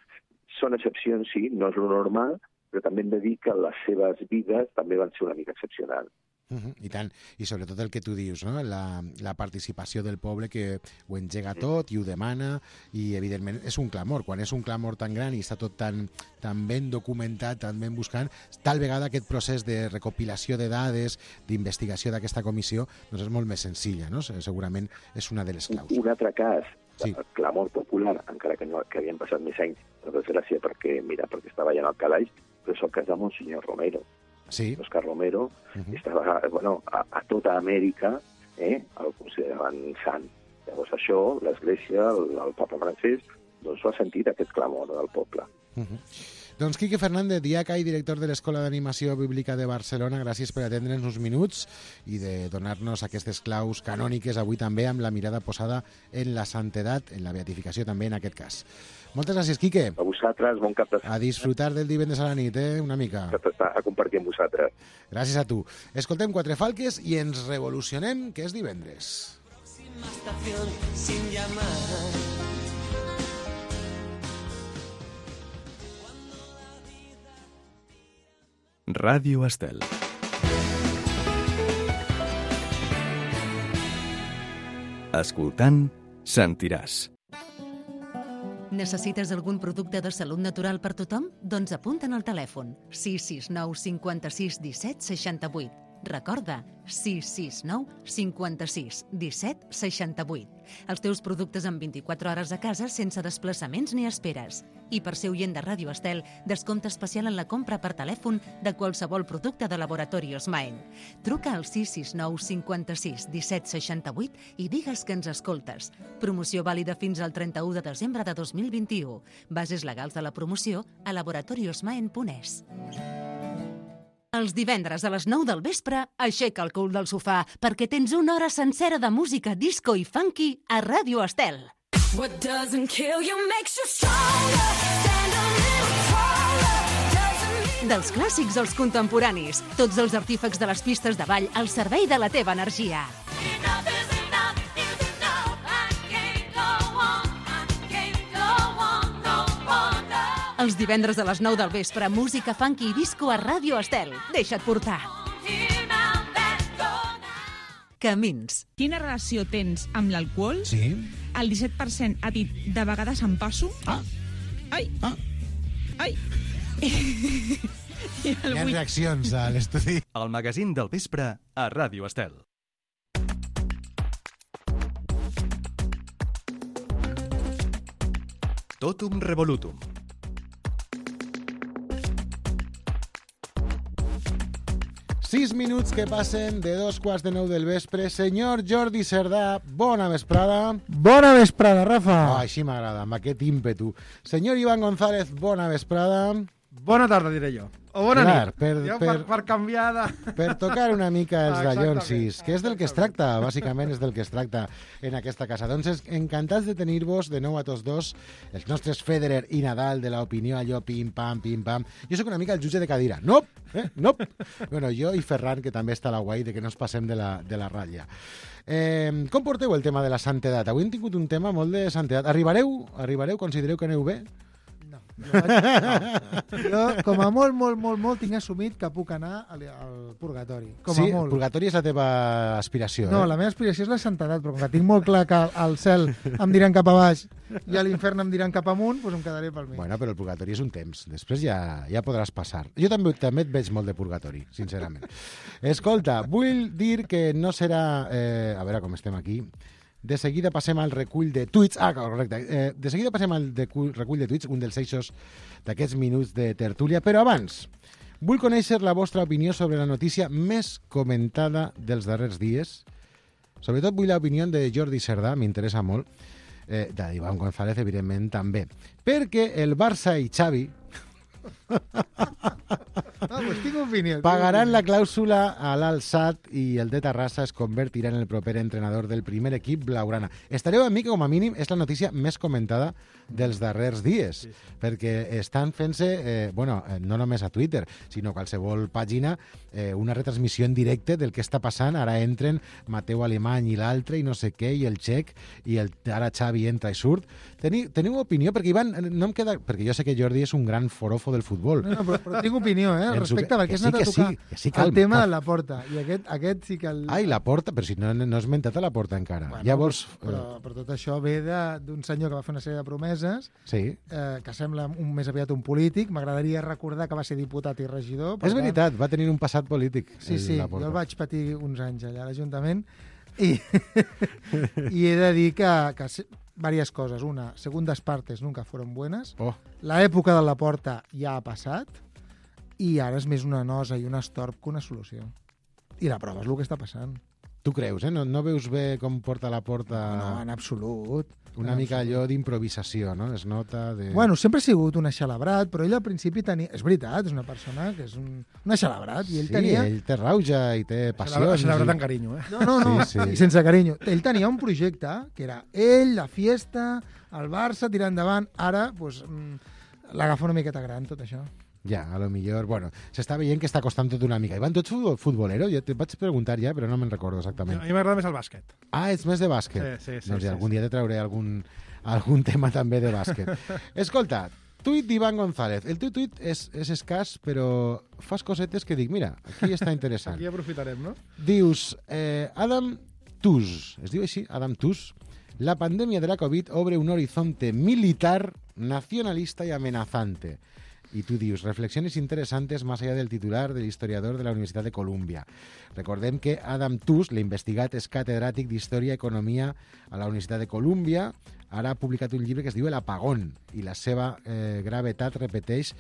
Són excepcions, sí, no és lo normal, però també hem de dir que les seves vides també van ser una mica excepcionals. Uh-huh, I tant, i sobretot el que tu dius, no? la, la participació del poble que ho engega tot i ho demana, i evidentment és un clamor. Quan és un clamor tan gran i està tot tan, tan ben documentat, tan ben buscant, tal vegada aquest procés de recopilació de dades, d'investigació d'aquesta comissió, doncs és molt més senzilla, no? Segurament és una de les claus. Un altre cas, sí. El clamor popular, encara que, no, que havien passat més anys, per desgràcia, perquè, mira, perquè estava allà en el calaix, però és el cas de Monsenyor Romero. Sí. Oscar Romero uh-huh. estava, bueno, a, a tota Amèrica eh, el consideraven sant. Llavors això, l'Església, el, el papa francès, doncs ho ha sentit aquest clamor del poble. Uh-huh. Doncs Quique Fernández, diaca i director de l'Escola d'Animació Bíblica de Barcelona, gràcies per atendre'ns uns minuts i de donar-nos aquestes claus canòniques avui també amb la mirada posada en la santedat, en la beatificació també en aquest cas. Moltes gràcies, Quique. A vosaltres, bon cap de setmana. A disfrutar del divendres a la nit, eh? Una mica. A compartir amb vosaltres. Gràcies a tu. Escoltem Quatre Falques i ens revolucionem, que és divendres. Sin llamar. Ràdio Estel. Escoltant, sentiràs. Necessites algun producte de salut natural per tothom? Doncs apunta'n al telèfon sis sis nou cinquanta-sis disset seixanta-vuit. Recorda, sis sis nou cinquanta-sis disset seixanta-vuit. Els teus productes en vint-i-quatre hores a casa sense desplaçaments ni esperes. I per ser oient de Ràdio Estel, descompte especial en la compra per telèfon de qualsevol producte de Laboratorios Maen. Truca al sis sis nou cinquanta-sis disset seixanta-vuit i digues que ens escoltes. Promoció vàlida fins al trenta-u de desembre de dos mil vint-i-u. Bases legals de la promoció a laboratoriosmaen punt es. Els divendres a les nou del vespre, aixeca el cul del sofà perquè tens una hora sencera de música disco i funky a Ràdio Estel. What doesn't kill you makes you stronger. Stand a little taller. Dels clàssics als contemporanis, tots els artífecs de les pistes de ball al servei de la teva energia. Enough is enough. Els divendres a les nou del vespre, música funky i disco a Ràdio Estel. Deixa't portar. Camins. Quina relació tens amb l'alcohol? Sí. El disset per cent ha dit de vegades em passo. Ah. Ai. Ah. Ai. I el Hi ha vuit... reaccions a l'estudi. El magazín del vespre a Ràdio Estel. Totum Revolutum. Sis minuts que passen de dos quarts de nou del vespre. Senyor Jordi Cerdà, bona vesprada. Bona vesprada, Rafa. Oh, així m'agrada, amb aquest ímpetu. Senyor Iván González, bona vesprada. Bona tarda, diré jo. O bona Clar, nit. per, ja, per, per, per canviar de... per tocar una mica els Exactament. dallonsis, que és del que es tracta, bàsicament és del que es tracta en aquesta casa. Doncs encantats de tenir-vos de nou a tots dos, els nostres Federer i Nadal de l'opinió, allò pim-pam, pim-pam. Jo sóc una mica el jutge de cadira. Nop, eh? Nop. Bueno, jo i Ferran, que també està a la guai, de que no ens passem de la, de la ratlla. Eh, com porteu el tema de la santedat? Avui hem tingut un tema molt de santedat. Arribareu? Arribareu? Considereu que aneu bé? No. Jo, vaig... no. Jo, com a molt, molt, molt, molt, tinc assumit que puc anar al, al purgatori. Com sí, a molt. El purgatori és la teva aspiració, No, eh? la meva aspiració és la santedat, però com que tinc molt clar que al cel em diran cap a baix i a l'infern em diran cap amunt, doncs em quedaré pel mig. Bueno, però el purgatori és un temps. Després ja, ja podràs passar. Jo també, també et veig molt de purgatori, sincerament. Escolta, vull dir que no serà... Eh, a veure com estem aquí... De seguida passem al recull de tuits. Ah, correcte. Eh, de seguida passem al de recull de tuits, un dels eixos d'aquests minuts de tertúlia. Però abans, vull conèixer la vostra opinió sobre la notícia més comentada dels darrers dies. Sobretot vull l'opinió de Jordi Cerdà, m'interessa molt. Eh, d'Iván González, evidentment, també. Perquè el Barça i Xavi... Ah, pues tinc opinió. Pagaran la clàusula a l'Al-Sadd i el de Terrassa es convertirà en el proper entrenador del primer equip blaugrana. Estareu amb mi que, com a mínim, és la notícia més comentada dels darrers dies, sí, sí. Perquè estan fent-se, eh, bueno, no només a Twitter, sinó a qualsevol pàgina, eh, una retransmissió en directe del que està passant. Ara entren Mateu Alemany i l'altre, i no sé què, i el Txec, i el, ara Xavi entra i surt. Teniu, teniu opinió? Perquè, Ivan, no em queda... Perquè jo sé que Jordi és un gran forofo del futbol. No, no, però, però tinc opinió, eh, al respecte, perquè que has sí, anat a que tocar sí, que sí, calma, el tema calma. de la porta, i aquest, aquest sí que... El... Ai, la porta, però si no, no has mentat a la porta encara. Bueno, Llavors... Però, però tot això ve de- d'un senyor que va fer una sèrie de promeses, Sí. eh, que sembla un, més aviat un polític. M'agradaria recordar que va ser diputat i regidor. per És tant- veritat, va tenir un passat polític. Sí, el sí, Laporta. jo el vaig patir uns anys allà a l'Ajuntament i, i he de dir que, que se- varias cosas. Una, segundas partes nunca fueron buenas. Oh, La època de la porta ja ha passat i ara és més una nosa i un estorb que una solució. I la prova és el que està passant. tu creus, eh? No, no veus bé com porta la porta... No, en absolut. Una en mica absolut. allò d'improvisació, no? Es nota de... Bueno, sempre ha sigut un aixalabrat, però ell al principi tenia... És veritat, és una persona que és un, un aixalabrat, i ell sí, tenia... ell té rauja i té passions. Celebrat i- amb carinyo, eh? No, no, no, Sí, sí. i sense carinyo. Ell tenia un projecte que era ell, la fiesta, el Barça, tirar endavant. Ara, doncs, mm, l'agafa una miqueta gran, tot això. Ja, a lo millor... Bueno, s'està veient que està costant tot una mica. Ivan, tu ets futbol, futbolero? Jo te vaig preguntar ja, però no me'n recordo A exactament. mi m'agrada més el bàsquet. Ah, ets més de bàsquet? Sí, sí, sí, doncs sí, algun sí. dia te trauré algun, algun tema també de bàsquet. Escolta, tuit d'Iván González. El teu tuit és, és escàs, però fas cosetes que dic, mira, aquí està interessant. Aquí aprofitarem, no? Dius, eh, Adam Tooze, es diu així, Adam Tooze, la pandemia de la COVID obre un horizonte militar, nacionalista y amenazante. Y tú dius, reflexiones interesantes más allá del titular del historiador de la Universitat de Columbia. Recordem que Adam Tooze, l'investigat, és catedràtic d'Història i Economia a la Universitat de Columbia. Ara ha publicat un llibre que es diu El apagón, i la seva eh, gravetat, repeteix,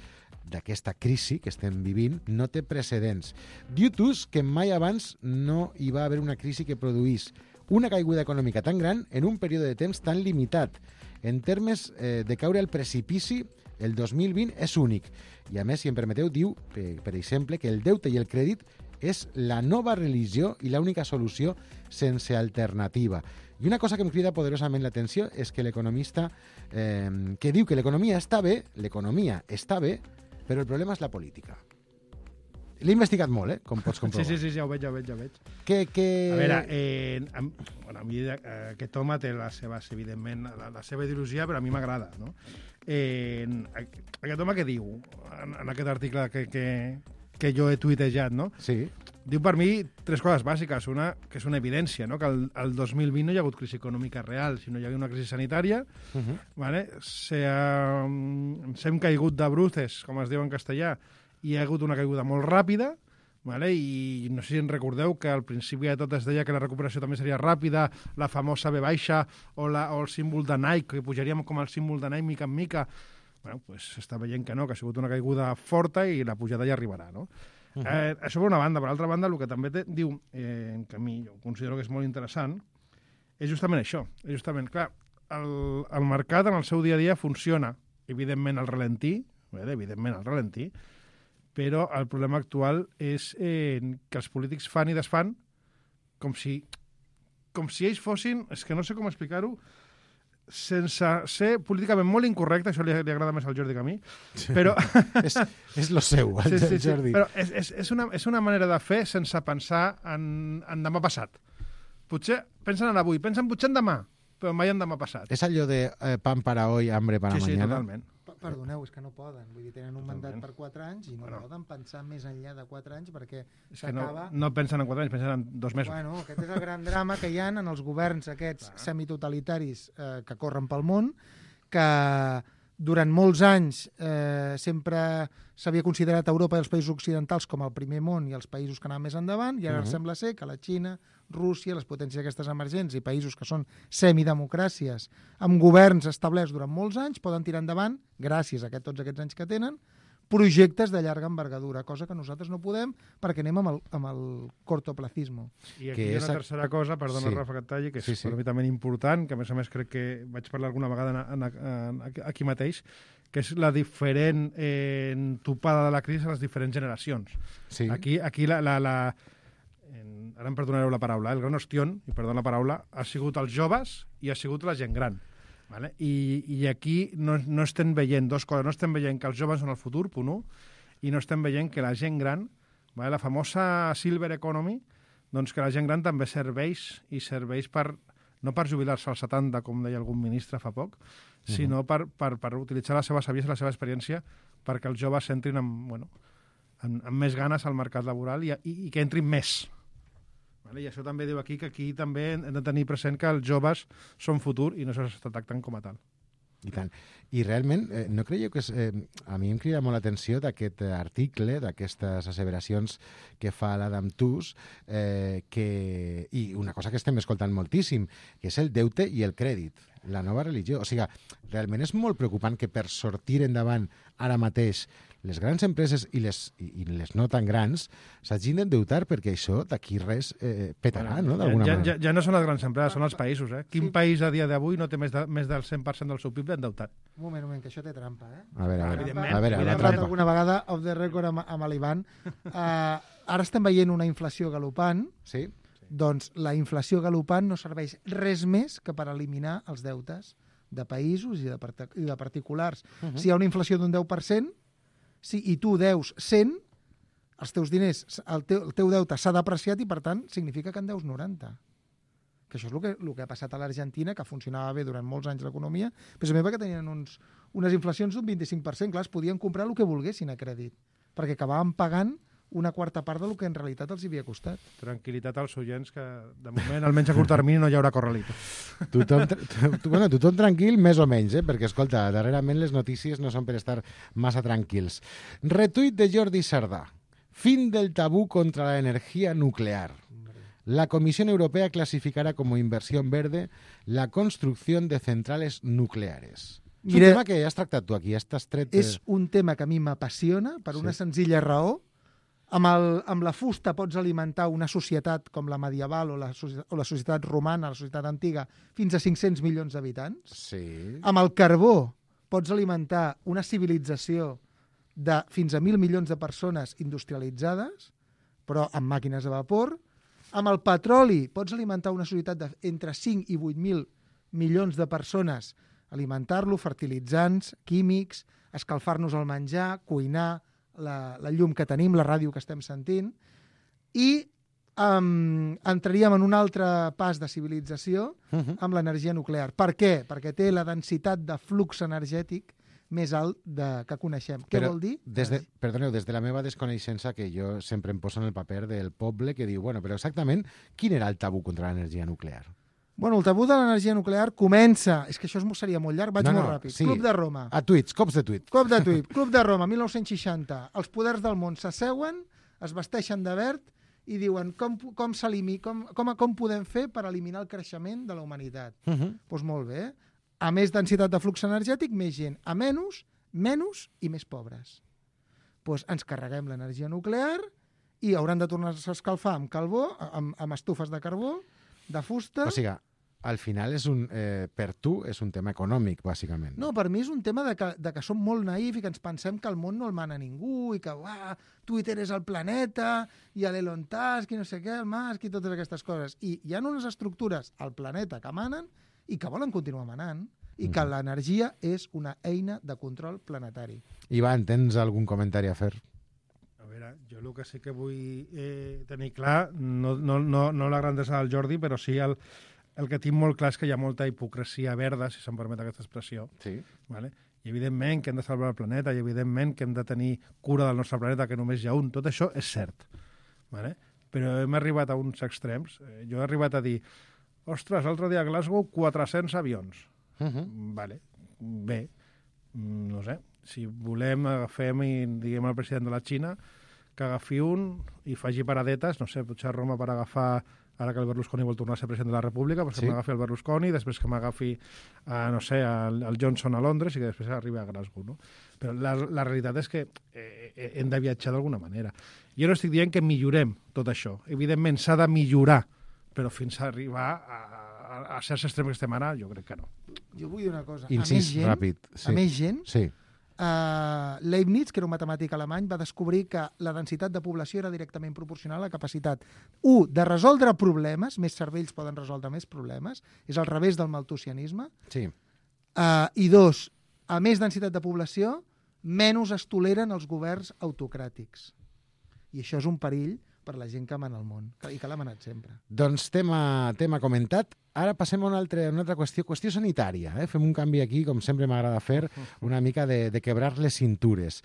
d'aquesta crisi que estem vivint no té precedents. Diu Tooze que mai abans no hi va haver una crisi que produís una caiguda econòmica tan gran en un període de temps tan limitat. En termes eh, de caure al precipici, el dos mil vint és únic. I a més, si em permeteu, diu, per, per exemple, que el deute i el crèdit és la nova religió i l'única solució sense alternativa. I una cosa que em crida poderosament l'atenció és que l'economista eh, que diu que l'economia està bé, l'economia està bé, però el problema és la política. L'he investigat molt, eh? Com pots comprovar. Sí, sí, sí, ja ho veig, ja ho veig, ja ho veig. Que, que... A veure, eh, a, bueno, a mi eh, aquest home té les seves, evidentment, la, la seva ideologia, però a mi m'agrada, no? Eh, aquest home què diu en, en aquest article que, que, que jo he tuitejat, no? Sí. Diu per mi tres coses bàsiques. Una, que és una evidència, no? Que el, el dos mil vint no hi ha hagut crisi econòmica real, sinó hi ha hagut una crisi sanitària. Uh -huh. Vale? Se ha, ens hem caigut de bruces, com es diu en castellà, i hi ha hagut una caiguda molt ràpida, vale? I no sé si en recordeu que al principi de tot es deia que la recuperació també seria ràpida, la famosa V baixa o, la, o el símbol de Nike, que pujaríem com el símbol de Nike mica en mica. Bueno, pues s'està veient que no, que ha sigut una caiguda forta i la pujada ja arribarà, no? Uh -huh. eh, això per una banda. Per l'altra banda, el que també te, diu, eh, que a mi jo considero que és molt interessant, és justament això. És justament, clar, el, el mercat en el seu dia a dia funciona, evidentment al ralentí, eh, evidentment al ralentí, però el problema actual és eh, que els polítics fan i desfan com si, com si ells fossin, és que no sé com explicar-ho, sense ser políticament molt incorrecte, això li, li agrada més al Jordi que a mi, però... és, és lo seu, el sí, sí, sí, Jordi. Però és, és, és, una, és una manera de fer sense pensar en, en demà passat. Potser pensen en avui, pensen potser en demà, però mai en demà passat. És allò de eh, pan para hoy, hambre para sí, mañana? Sí, totalment. Perdoneu, és que no poden. Vull dir, tenen un mandat per quatre anys i no bueno. poden pensar més enllà de quatre anys perquè s'acaba... No, no pensen en quatre anys, pensen en dos mesos. Bueno, aquest és el gran drama que hi ha en els governs aquests Clar. semitotalitaris eh, que corren pel món, que durant molts anys eh, sempre s'havia considerat Europa i els països occidentals com el primer món i els països que anaven més endavant, i ara uh -huh. sembla ser que la Xina, Rússia, les potències aquestes emergents i països que són semidemocràcies amb governs establerts durant molts anys poden tirar endavant, gràcies a aquest, tots aquests anys que tenen, projectes de llarga envergadura, cosa que nosaltres no podem perquè anem amb el, amb el cortoplacismo. I aquí hi ha una tercera cosa, perdona, sí. Rafa, que et talli, que és sí, sí. probablement important, que a més a més crec que vaig parlar alguna vegada en, en, en, aquí mateix, que és la diferent eh, topada de la crisi a les diferents generacions. Sí. Aquí, aquí la... la, la en, ara em perdonareu la paraula, eh? El gran ostión, i perdona la paraula, ha sigut els joves i ha sigut la gent gran. Vale? I, I aquí no, no estem veient dos coses. No estem veient que els joves són el futur, punt un, i no estem veient que la gent gran, vale? La famosa Silver Economy, doncs que la gent gran també serveix i serveix per, no per jubilar-se als setanta, com deia algun ministre fa poc, uh-huh. sinó per, per, per utilitzar la seva saviesa i la seva experiència perquè els joves entrin amb, bueno, amb, amb més ganes al mercat laboral i, i, i que entrin més. Vale? I això també diu aquí que aquí també hem de tenir present que els joves són futur i no s'està tractant com a tal. I tant. I realment, eh, no creieu que és, eh, a mi em crida molt l'atenció d'aquest article, d'aquestes asseveracions que fa l'Adam Tooze, eh, que, i una cosa que estem escoltant moltíssim, que és el deute i el crèdit, la nova religió. O sigui, realment és molt preocupant que per sortir endavant ara mateix les grans empreses i les, i les no tan grans s'hagin d'endeutar perquè això d'aquí res eh, petarà, bueno, no? D'alguna ja, manera. Ja, ja no són les grans empreses, són els països. Eh? Quin sí. país a dia d'avui no té més, de, més del cent per cent del seu P I B endeutat? Un moment, un moment, que això té trampa, eh? A veure, a veure. Trampa. A veure, He la parlat trampa. alguna vegada off the record amb, amb l'Ivan. Uh, ara estem veient una inflació galopant. Sí. Doncs la inflació galopant no serveix res més que per eliminar els deutes de països i de, part i de particulars. Uh -huh. Si hi ha una inflació d'un deu per cent, si, i tu deus cent, els teus diners, el teu, el teu deute s'ha depreciat i, per tant, significa que en deus noranta. Que això és el que, el que ha passat a l'Argentina, que funcionava bé durant molts anys l'economia, precisament perquè tenien uns, unes inflacions d'un vint-i-cinc per cent. Clar, es podien comprar el que volguessin a crèdit, perquè acabaven pagant una quarta part del que en realitat els havia costat. Tranquil·litat als oients, que de moment, almenys a curt termini, no hi haurà corralito. Tothom, tu, bueno, tothom tranquil, més o menys, eh? Perquè, escolta, darrerament les notícies no són per estar massa tranquils. Retuit de Jordi Sardà. Fin del tabú contra la energía nuclear. La Comisión Europea clasificará como inversión verde la construcción de centrales nucleares. És Mira, un tema que has tractat tu aquí, estàs tret... De... És un tema que a mi m'apassiona per una sí. senzilla raó. Amb, el, amb la fusta pots alimentar una societat com la medieval o la, o la societat romana, la societat antiga, fins a cinc-cents milions d'habitants. Sí. Amb el carbó pots alimentar una civilització de fins a mil milions de persones industrialitzades, però amb màquines de vapor. Amb el petroli pots alimentar una societat d'entre cinc i vuit mil milions de persones, alimentar-lo, fertilitzants, químics, escalfar-nos el menjar, cuinar, la, la llum que tenim, la ràdio que estem sentint, i um, entraríem en un altre pas de civilització uh-huh. amb l'energia nuclear. Per què? Perquè té la densitat de flux energètic més alt de, que coneixem. Què Però vol dir? Des de, perdoneu, des de la meva desconeixença, que jo sempre em poso en el paper del poble que diu, bueno, però exactament quin era el tabú contra l'energia nuclear? Bueno, el tabú de l'energia nuclear comença... És que això seria molt llarg, vaig no, molt no, ràpid. Sí. Club de Roma. A tuits, cops de tuit. Cop de tuit. Club de Roma, mil nou-cents seixanta. Els poders del món s'asseuen, es vesteixen de verd i diuen com, com, com, com, com podem fer per eliminar el creixement de la humanitat. Doncs uh-huh. pues molt bé. A més densitat de flux energètic, més gent. A menys, menys i més pobres. Pues ens carreguem l'energia nuclear i hauran de tornar-se a escalfar amb carbó, amb, amb estufes de carbó, de fusta... O sigui, al final, és un, eh, per tu, és un tema econòmic, bàsicament. No, per mi és un tema de que, de que som molt naïf i que ens pensem que el món no el mana ningú i que uah, Twitter és el planeta i l'Elon Musk i no sé què, el Musk i totes aquestes coses. I hi ha unes estructures al planeta que manen i que volen continuar manant i que mm. l'energia és una eina de control planetari. Ivan, tens algun comentari a fer? A veure, jo el que sí que vull eh, tenir clar, no, no, no, no la grandesa del Jordi, però sí el, el que tinc molt clar és que hi ha molta hipocresia verda, si se'm permet aquesta expressió. Sí. Vale? I evidentment que hem de salvar el planeta, i evidentment que hem de tenir cura del nostre planeta, que només hi ha un. Tot això és cert. Vale? Però hem arribat a uns extrems. Jo he arribat a dir, ostres, l'altre dia a Glasgow, quatre-cents avions. Uh-huh. Vale. Bé, no sé, si volem agafem i diguem al president de la Xina que agafi un i faci paradetes, no sé, potser a Roma per agafar, ara que el Berlusconi vol tornar a ser president de la República, doncs sí. que m'agafi el Berlusconi, després que m'agafi, a, no sé, el, el Johnson a Londres i que després arribi a Glasgow, no? Però la, la realitat és que eh, hem de viatjar d'alguna manera. Jo no estic dient que millorem tot això. Evidentment s'ha de millorar, però fins a arribar a, a, a certs extrems que estem ara, jo crec que no. Jo vull dir una cosa. Incís, a més gent, ràpid. Sí. A més gent, sí. uh, Leibniz, que era un matemàtic alemany, va descobrir que la densitat de població era directament proporcional a la capacitat, u, de resoldre problemes, més cervells poden resoldre més problemes, és al revés del maltusianisme, sí. uh, i dos, a més densitat de població, menys es toleren els governs autocràtics. I això és un perill per la gent que mana el món, i que l'ha manat sempre. Doncs tema, tema comentat. Ara passem a una altra, una altra qüestió, qüestió sanitària. Eh? Fem un canvi aquí, com sempre m'agrada fer, una mica de, de quebrar les cintures.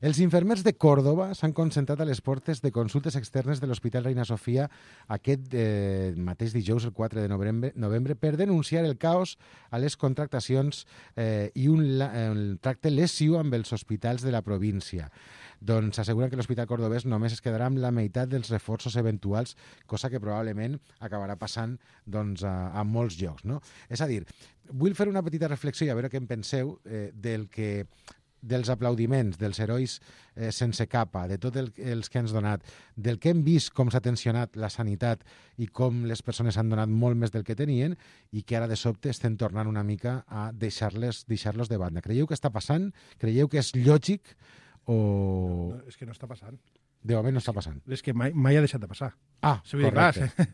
Els infermers de Còrdova s'han concentrat a les portes de consultes externes de l'Hospital Reina Sofia aquest eh, mateix dijous, el quatre de novembre, novembre, per denunciar el caos a les contractacions eh, i un, un tracte lesiu amb els hospitals de la província. Doncs asseguren que l'Hospital Cordovès només es quedarà amb la meitat dels reforços eventuals, cosa que probablement acabarà passant doncs, a, a molts llocs. No? És a dir, vull fer una petita reflexió i a veure què en penseu eh, del que dels aplaudiments, dels herois eh, sense capa, de tots el, els que han donat, del que hem vist com s'ha tensionat la sanitat i com les persones han donat molt més del que tenien i que ara de sobte estem tornant una mica a deixar-les deixar-los de banda. Creieu que està passant? Creieu que és lògic o... No, és que no està passant. De moment no està passant. És que mai, mai ha deixat de passar. Ah, sí, correcte. Dir,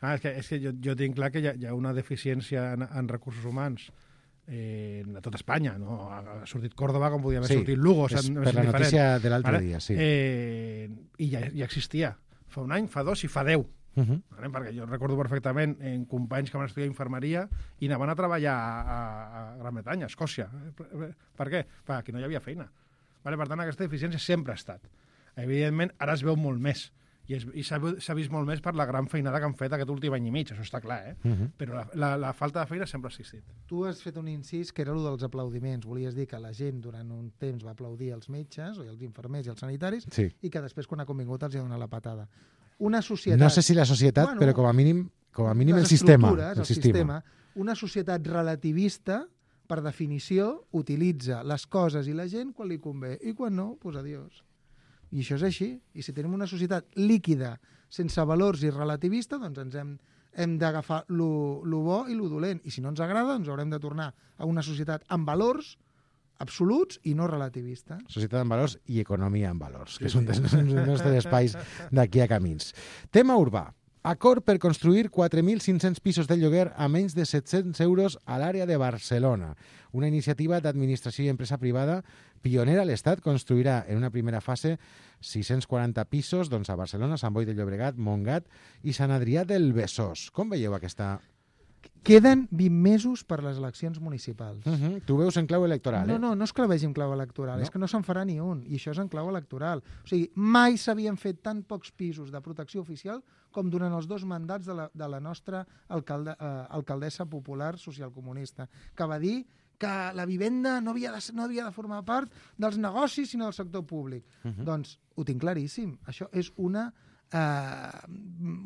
clar, ah, és que, és que jo, jo tinc clar que hi ha, hi ha una deficiència en, en recursos humans eh, a tot Espanya. No? Ha sortit Còrdova com podia haver sí, sortit Lugo. És per la notícia de l'altre vale? dia, sí. Eh, I ja, ja existia. Fa un any, fa dos i fa deu. Uh -huh. vale? Perquè jo recordo perfectament en companys que van estudiar infermeria i anaven a treballar a, a, a Gran Bretanya, a Escòcia. Per, per què? Perquè no hi havia feina. Vale? Per tant, aquesta deficiència sempre ha estat. Evidentment, ara es veu molt més. I, es, i s'ha vist molt més per la gran feinada que han fet aquest últim any i mig, això està clar, eh? Uh-huh. Però la, la, la falta de feina sempre ha existit. Tu has fet un incís que era el dels aplaudiments. Volies dir que la gent durant un temps va aplaudir els metges, o els infermers i els sanitaris, sí. i que després, quan ha convingut, els ha donat la patada. Una societat... No sé si la societat, bueno, però com a mínim, com a mínim el sistema. El, el sistema. sistema. Una societat relativista, per definició, utilitza les coses i la gent quan li convé, i quan no, doncs adiós. I això és així. I si tenim una societat líquida, sense valors i relativista, doncs ens hem, hem d'agafar lo, lo bo i lo dolent. I si no ens agrada, doncs haurem de tornar a una societat amb valors absoluts i no relativistes. Societat amb valors i economia amb valors, que sí, és un dels nostres espais d'aquí a camins. Tema urbà. Acord per construir quatre mil cinc-cents pisos de lloguer a menys de set-cents euros a l'àrea de Barcelona. Una iniciativa d'administració i empresa privada Pionera a l'Estat, construirà en una primera fase sis-cents quaranta pisos doncs, a Barcelona, Sant Boi de Llobregat, Montgat i Sant Adrià del Besòs. Com veieu aquesta... Queden vint mesos per les eleccions municipals. Uh -huh. Tu veus en clau electoral, no, eh? No, no és que la vegi en clau electoral, No? és que no se'n farà ni un, i això és en clau electoral. O sigui, mai s'havien fet tan pocs pisos de protecció oficial com durant els dos mandats de la, de la nostra alcalde, eh, alcaldessa popular socialcomunista, que va dir que la vivenda no havia de, no havia de formar part dels negocis sinó del sector públic. Uh -huh. Doncs ho tinc claríssim. Això és una... Uh,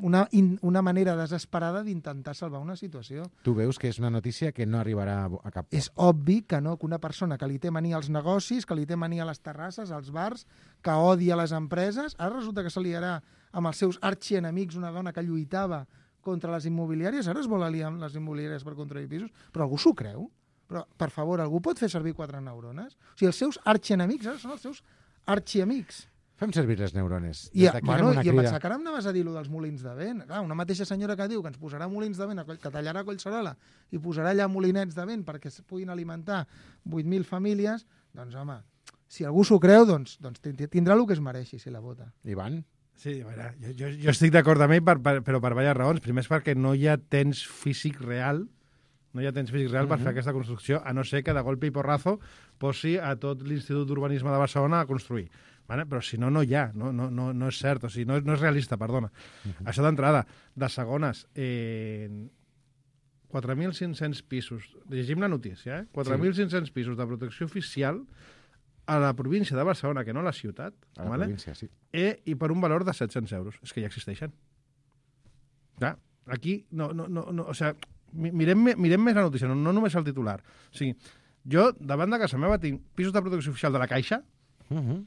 una, in, una manera desesperada d'intentar salvar una situació. Tu veus que és una notícia que no arribarà a cap port. És obvi que no, que una persona que li té mania als negocis, que li té mania a les terrasses, als bars, que odia les empreses, ara resulta que se liarà amb els seus arxienemics, una dona que lluitava contra les immobiliàries, ara es vol aliar amb les immobiliàries per construir pisos, però algú s'ho creu? Però, per favor, algú pot fer servir quatre neurones? O sigui, els seus arxienemics ara són els seus arxiamics. Fem servir les neurones. I, bueno, i em pensava que ara em anaves a dir allò dels molins de vent. Clar, una mateixa senyora que diu que ens posarà molins de vent, que tallarà Collserola i posarà allà molinets de vent perquè es puguin alimentar vuit mil famílies, doncs, home, si algú s'ho creu, doncs, doncs tindrà el que es mereixi si la vota. Ivan? Sí, a veure, jo, jo, jo estic d'acord amb ell, per, per, però per diverses raons. Primer és perquè no hi ha temps físic real no hi ha temps físic real per uh -huh. fer aquesta construcció, a no ser que de golpe i porrazo posi a tot l'Institut d'Urbanisme de Barcelona a construir. Vale? Però si no, no hi ha, no, no, no, no és cert, o sigui, no, no és realista, perdona. Uh -huh. Això d'entrada. De segones, eh, quatre mil cinc-cents pisos, llegim la notícia, eh? quatre mil cinc-cents pisos de protecció oficial a la província de Barcelona, que no a la ciutat, a la vale? província, sí. Eh, i per un valor de set-cents euros. És que ja existeixen. Clar, aquí, no, no, no, no o sigui, mirem, mirem més la notícia, no, no només el titular. O sigui, jo, davant de casa meva, tinc pisos de protecció oficial de la Caixa, uh -huh.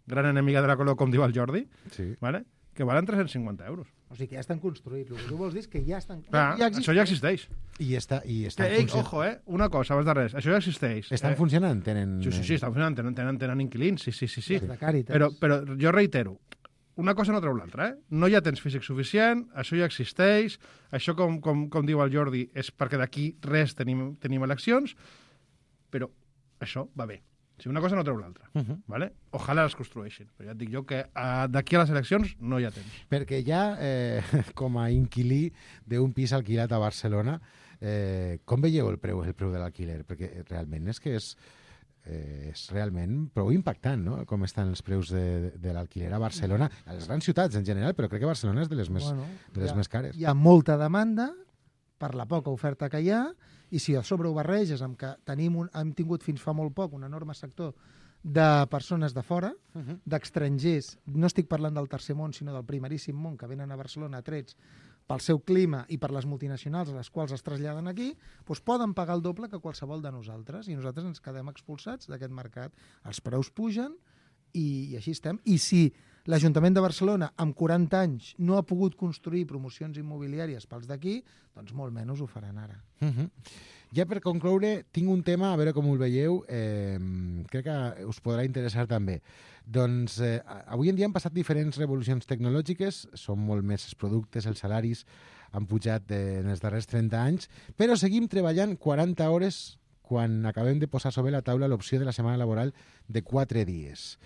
gran enemiga de la Color, com diu el Jordi, sí. vale? Que valen tres-cents cinquanta euros. O sigui, que ja estan construïts. El que tu vols dir és que ja estan... Clar, ja això ja existeix. I està, i està que, ei, ojo, eh? Una cosa, abans de res, això ja existeix. Estan eh? funcionant? Tenen... Sí, sí, sí, estan funcionant, tenen, tenen, tenen inquilins, sí, sí, sí. sí. De Càritas. Però, però jo reitero, una cosa no treu l'altra, eh? No hi ha temps físic suficient, això ja existeix, això, com, com, com diu el Jordi, és perquè d'aquí res tenim, tenim eleccions, però això va bé. O sigui, una cosa no treu l'altra, uh -huh. ¿vale? Ojalà les construeixin, però ja et dic jo que uh, d'aquí a les eleccions no hi ha temps. Perquè ja, eh, com a inquilí d'un pis alquilat a Barcelona, eh, com veieu el preu, el preu de l'alquiler? Perquè realment és que és, eh, és realment prou impactant, no?, com estan els preus de, de l'alquiler a Barcelona, a les grans ciutats en general, però crec que Barcelona és de les més, bueno, de les ha, més cares. Hi ha molta demanda per la poca oferta que hi ha, i si a sobre ho barreges amb que tenim un, hem tingut fins fa molt poc un enorme sector de persones de fora, uh -huh. d'estrangers, no estic parlant del tercer món, sinó del primeríssim món, que venen a Barcelona atrets pel seu clima i per les multinacionals a les quals es traslladen aquí, doncs poden pagar el doble que qualsevol de nosaltres, i nosaltres ens quedem expulsats d'aquest mercat. Els preus pugen i, i així estem. I si l'Ajuntament de Barcelona, amb quaranta anys, no ha pogut construir promocions immobiliàries pels d'aquí, doncs molt menys ho faran ara. Uh -huh. Ja per concloure, tinc un tema, a veure com ho veieu, eh, crec que us podrà interessar també. Doncs eh, avui en dia han passat diferents revolucions tecnològiques, són molt més els productes, els salaris han pujat eh, en els darrers trenta anys, però seguim treballant quaranta hores quan acabem de posar sobre la taula l'opció de la setmana laboral de quatre dies.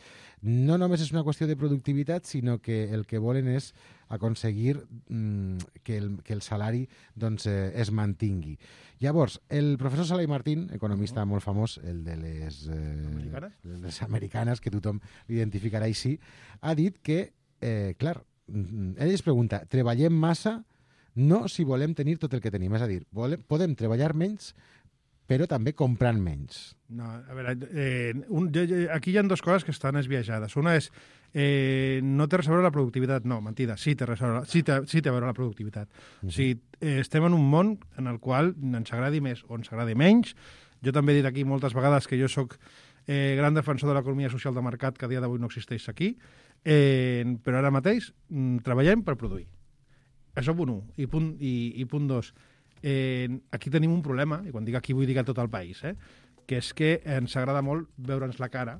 No només és una qüestió de productivitat, sinó que el que volen és aconseguir mm, que, el, que el salari doncs, eh, es mantingui. Llavors, el professor Sala i Martín, economista uh -huh. molt famós, el de les, eh, americanes? les americanes, que tothom l'identificarà així, ha dit que, eh, clar, ell es pregunta, treballem massa? No si volem tenir tot el que tenim. És a dir, volem, podem treballar menys, però també comprant menys. No, a veure, eh, un, aquí hi ha dues coses que estan esbiaixades. Una és, eh, no té res a veure la productivitat. No, mentida, sí té, res a veure, sí té, sí té a veure la productivitat. Uh -huh. O sigui, eh, estem en un món en el qual ens agradi més o ens agradi menys. Jo també he dit aquí moltes vegades que jo sóc eh, gran defensor de l'economia social de mercat, que a dia d'avui no existeix aquí, eh, però ara mateix mm, treballem per produir. Això punt un. I punt, i, i punt dos. Eh, aquí tenim un problema, i quan dic aquí vull dir a tot el país, eh, que és que ens agrada molt veure'ns la cara,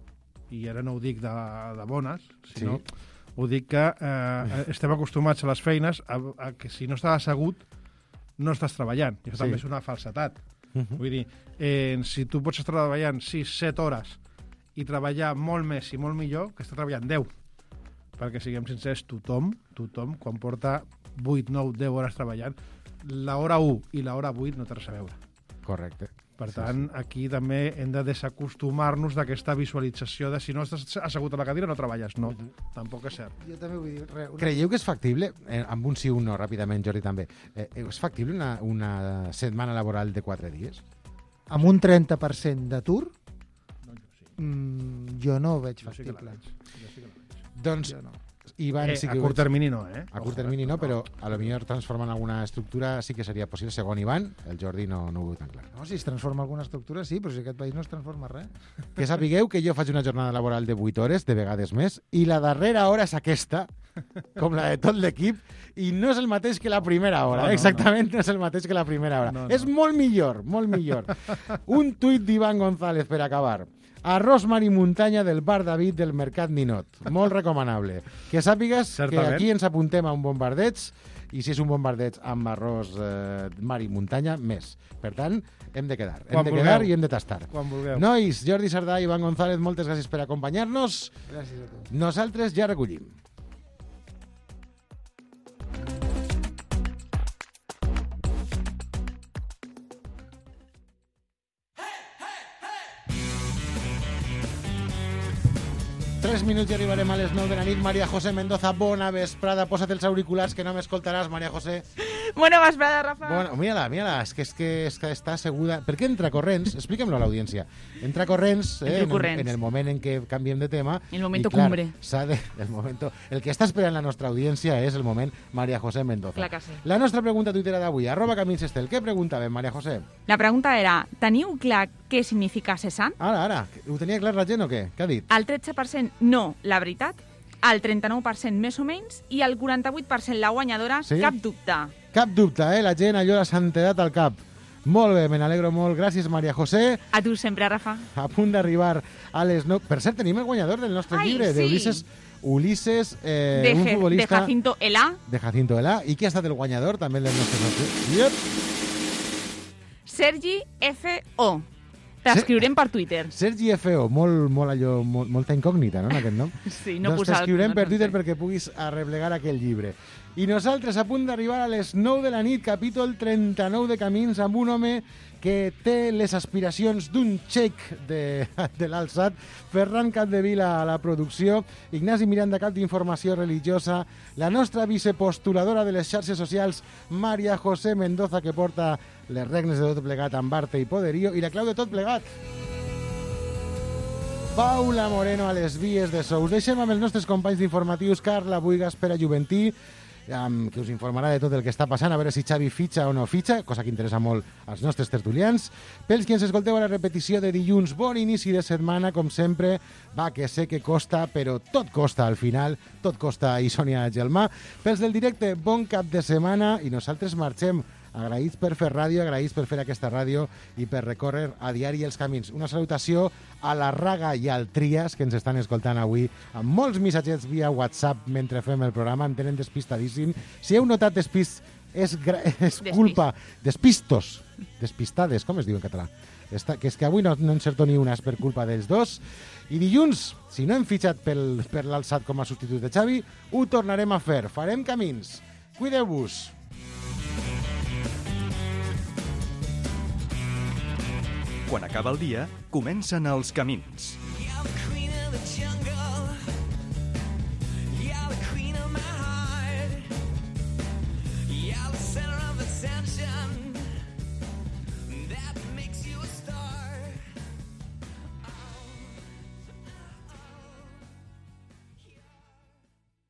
i ara no ho dic de, de bones, sinó sí. ho dic que eh, estem acostumats a les feines a, a que si no estàs assegut no estàs treballant, i això sí. també és una falsetat. Uh -huh. Vull dir, eh, si tu pots estar treballant sis set hores i treballar molt més i molt millor que està treballant deu. Perquè, siguem sincers, tothom, tothom, quan porta vuit, nou, deu hores treballant, l'hora u i l'hora vuit no té res a veure. Correcte. Per tant, sí, sí. aquí també hem de desacostumar-nos d'aquesta visualització de si no estàs assegut a la cadira no treballes. No, uh-huh. tampoc és cert. Jo també vull dir... Re, una... Creieu que és factible, eh, amb un sí o un no, ràpidament, Jordi, també, eh, és factible una, una setmana laboral de quatre dies? Amb un trenta per cent d'atur, no, jo, sí. mm, jo no ho veig jo factible. Sí que veig. Jo sí que la veig. Doncs... Jo no. Ivan, eh, sí que a curt termini no, eh? A curt termini no, però a lo millor transformant alguna estructura sí que seria possible. Segons Ivan, el Jordi no, no ho veu tan clar. No, si es transforma alguna estructura, sí, però si aquest país no es transforma res. Que sapigueu que jo faig una jornada laboral de vuit hores, de vegades més, i la darrera hora és aquesta, com la de tot l'equip, i no és el mateix que la primera hora. No, no, exactament no. no és el mateix que la primera hora. No, no. És molt millor, molt millor. Un tuit d'Ivan González per acabar. Arròs mar i muntanya del bar David del Mercat Ninot. Molt recomanable. Que sàpigues Certament. que aquí ens apuntem a un bombardeig i si és un bombardeig amb arròs eh, mar i muntanya, més. Per tant, hem de quedar. Quan hem de vulgueu. quedar i hem de tastar. Quan vulgueu. Nois, Jordi Sardà i Ivan González, moltes gràcies per acompanyar-nos. Gràcies a tu. Nosaltres ja recollim. Tres minuts i arribarem a les nou de la nit. María José Mendoza, bona vesprada. Posa't els auriculars que no m'escoltaràs, María José. Bona vesprada, Rafa. Bona, mira-la, mira-la, és que, és, que, és que està asseguda. Per què entra corrents? Expliquem-lo a l'audiència. Entra corrents, eh, en, el, en el moment en què canviem de tema. El momento i, clar, cumbre. De, el, momento, el que està esperant la nostra audiència és el moment María José Mendoza. Clar que sí. La nostra pregunta tuitera d'avui, arroba Camins Estel. Què preguntàvem, María José? La pregunta era, teniu clar què significa cessant? Ara, ara. Ho tenia clar la gent o què? Què ha dit? El tretze per cent no, la veritat, el trenta-nou per cent més o menys i el quaranta-vuit per cent la guanyadora, sí? Cap dubte. Cap dubte, eh? La gent allò la santedat al cap. Molt bé, me n'alegro molt. Gràcies, María José. A tu sempre, Rafa. A punt d'arribar a les nou... Per cert, tenim el guanyador del nostre Ai, llibre, sí. d'Ulises Ulises, eh, de, un futbolista... De Jacinto Elá. De Jacinto Elá. I qui ha estat el guanyador, també, del nostre nostre... Yep. Sergi F O. T'escriurem per Twitter. Sergi F O, molt, molt allò, molt, molta incògnita, no, en aquest nom? Sí, no doncs posar... t'escriurem no, per Twitter no sé. perquè puguis arreplegar aquell llibre. I nosaltres, a punt d'arribar a les nou de la nit, capítol trenta-nou de Camins, amb un home que té les aspiracions d'un xec de, de l'Alçat, Ferran Capdevila a la producció, Ignasi Miranda, cap d'Informació Religiosa, la nostra vicepostuladora de les xarxes socials, María José Mendoza, que porta les regnes de tot plegat amb arte i poderío, i la clau de tot plegat, Paula Moreno a les vies de so. Us deixem amb els nostres companys d'informatius, Carla Buigas, Pere Juventí, Um, que us informarà de tot el que està passant, a veure si Xavi fitxa o no fitxa, cosa que interessa molt als nostres tertulians. Pels qui ens escolteu a la repetició de dilluns, bon inici de setmana, com sempre. Va, que sé que costa, però tot costa al final, tot costa, i Sònia Gelmà. Pels del directe, bon cap de setmana, i nosaltres marxem agraïts per fer ràdio, agraïts per fer aquesta ràdio i per recórrer a diari els camins. Una salutació a la Raga i al Trias, que ens estan escoltant avui, amb molts missatgets via WhatsApp mentre fem el programa, em tenen despistadíssim. Si heu notat despist, és, és culpa... Despistos. Despistades, com es diu en català? Està, que és que avui no, no encerto ni una, és per culpa dels dos. I dilluns, si no hem fitxat pel, per l'Alçat com a substitut de Xavi, ho tornarem a fer. Farem camins. Cuideu-vos. Quan acaba el dia, comencen els camins.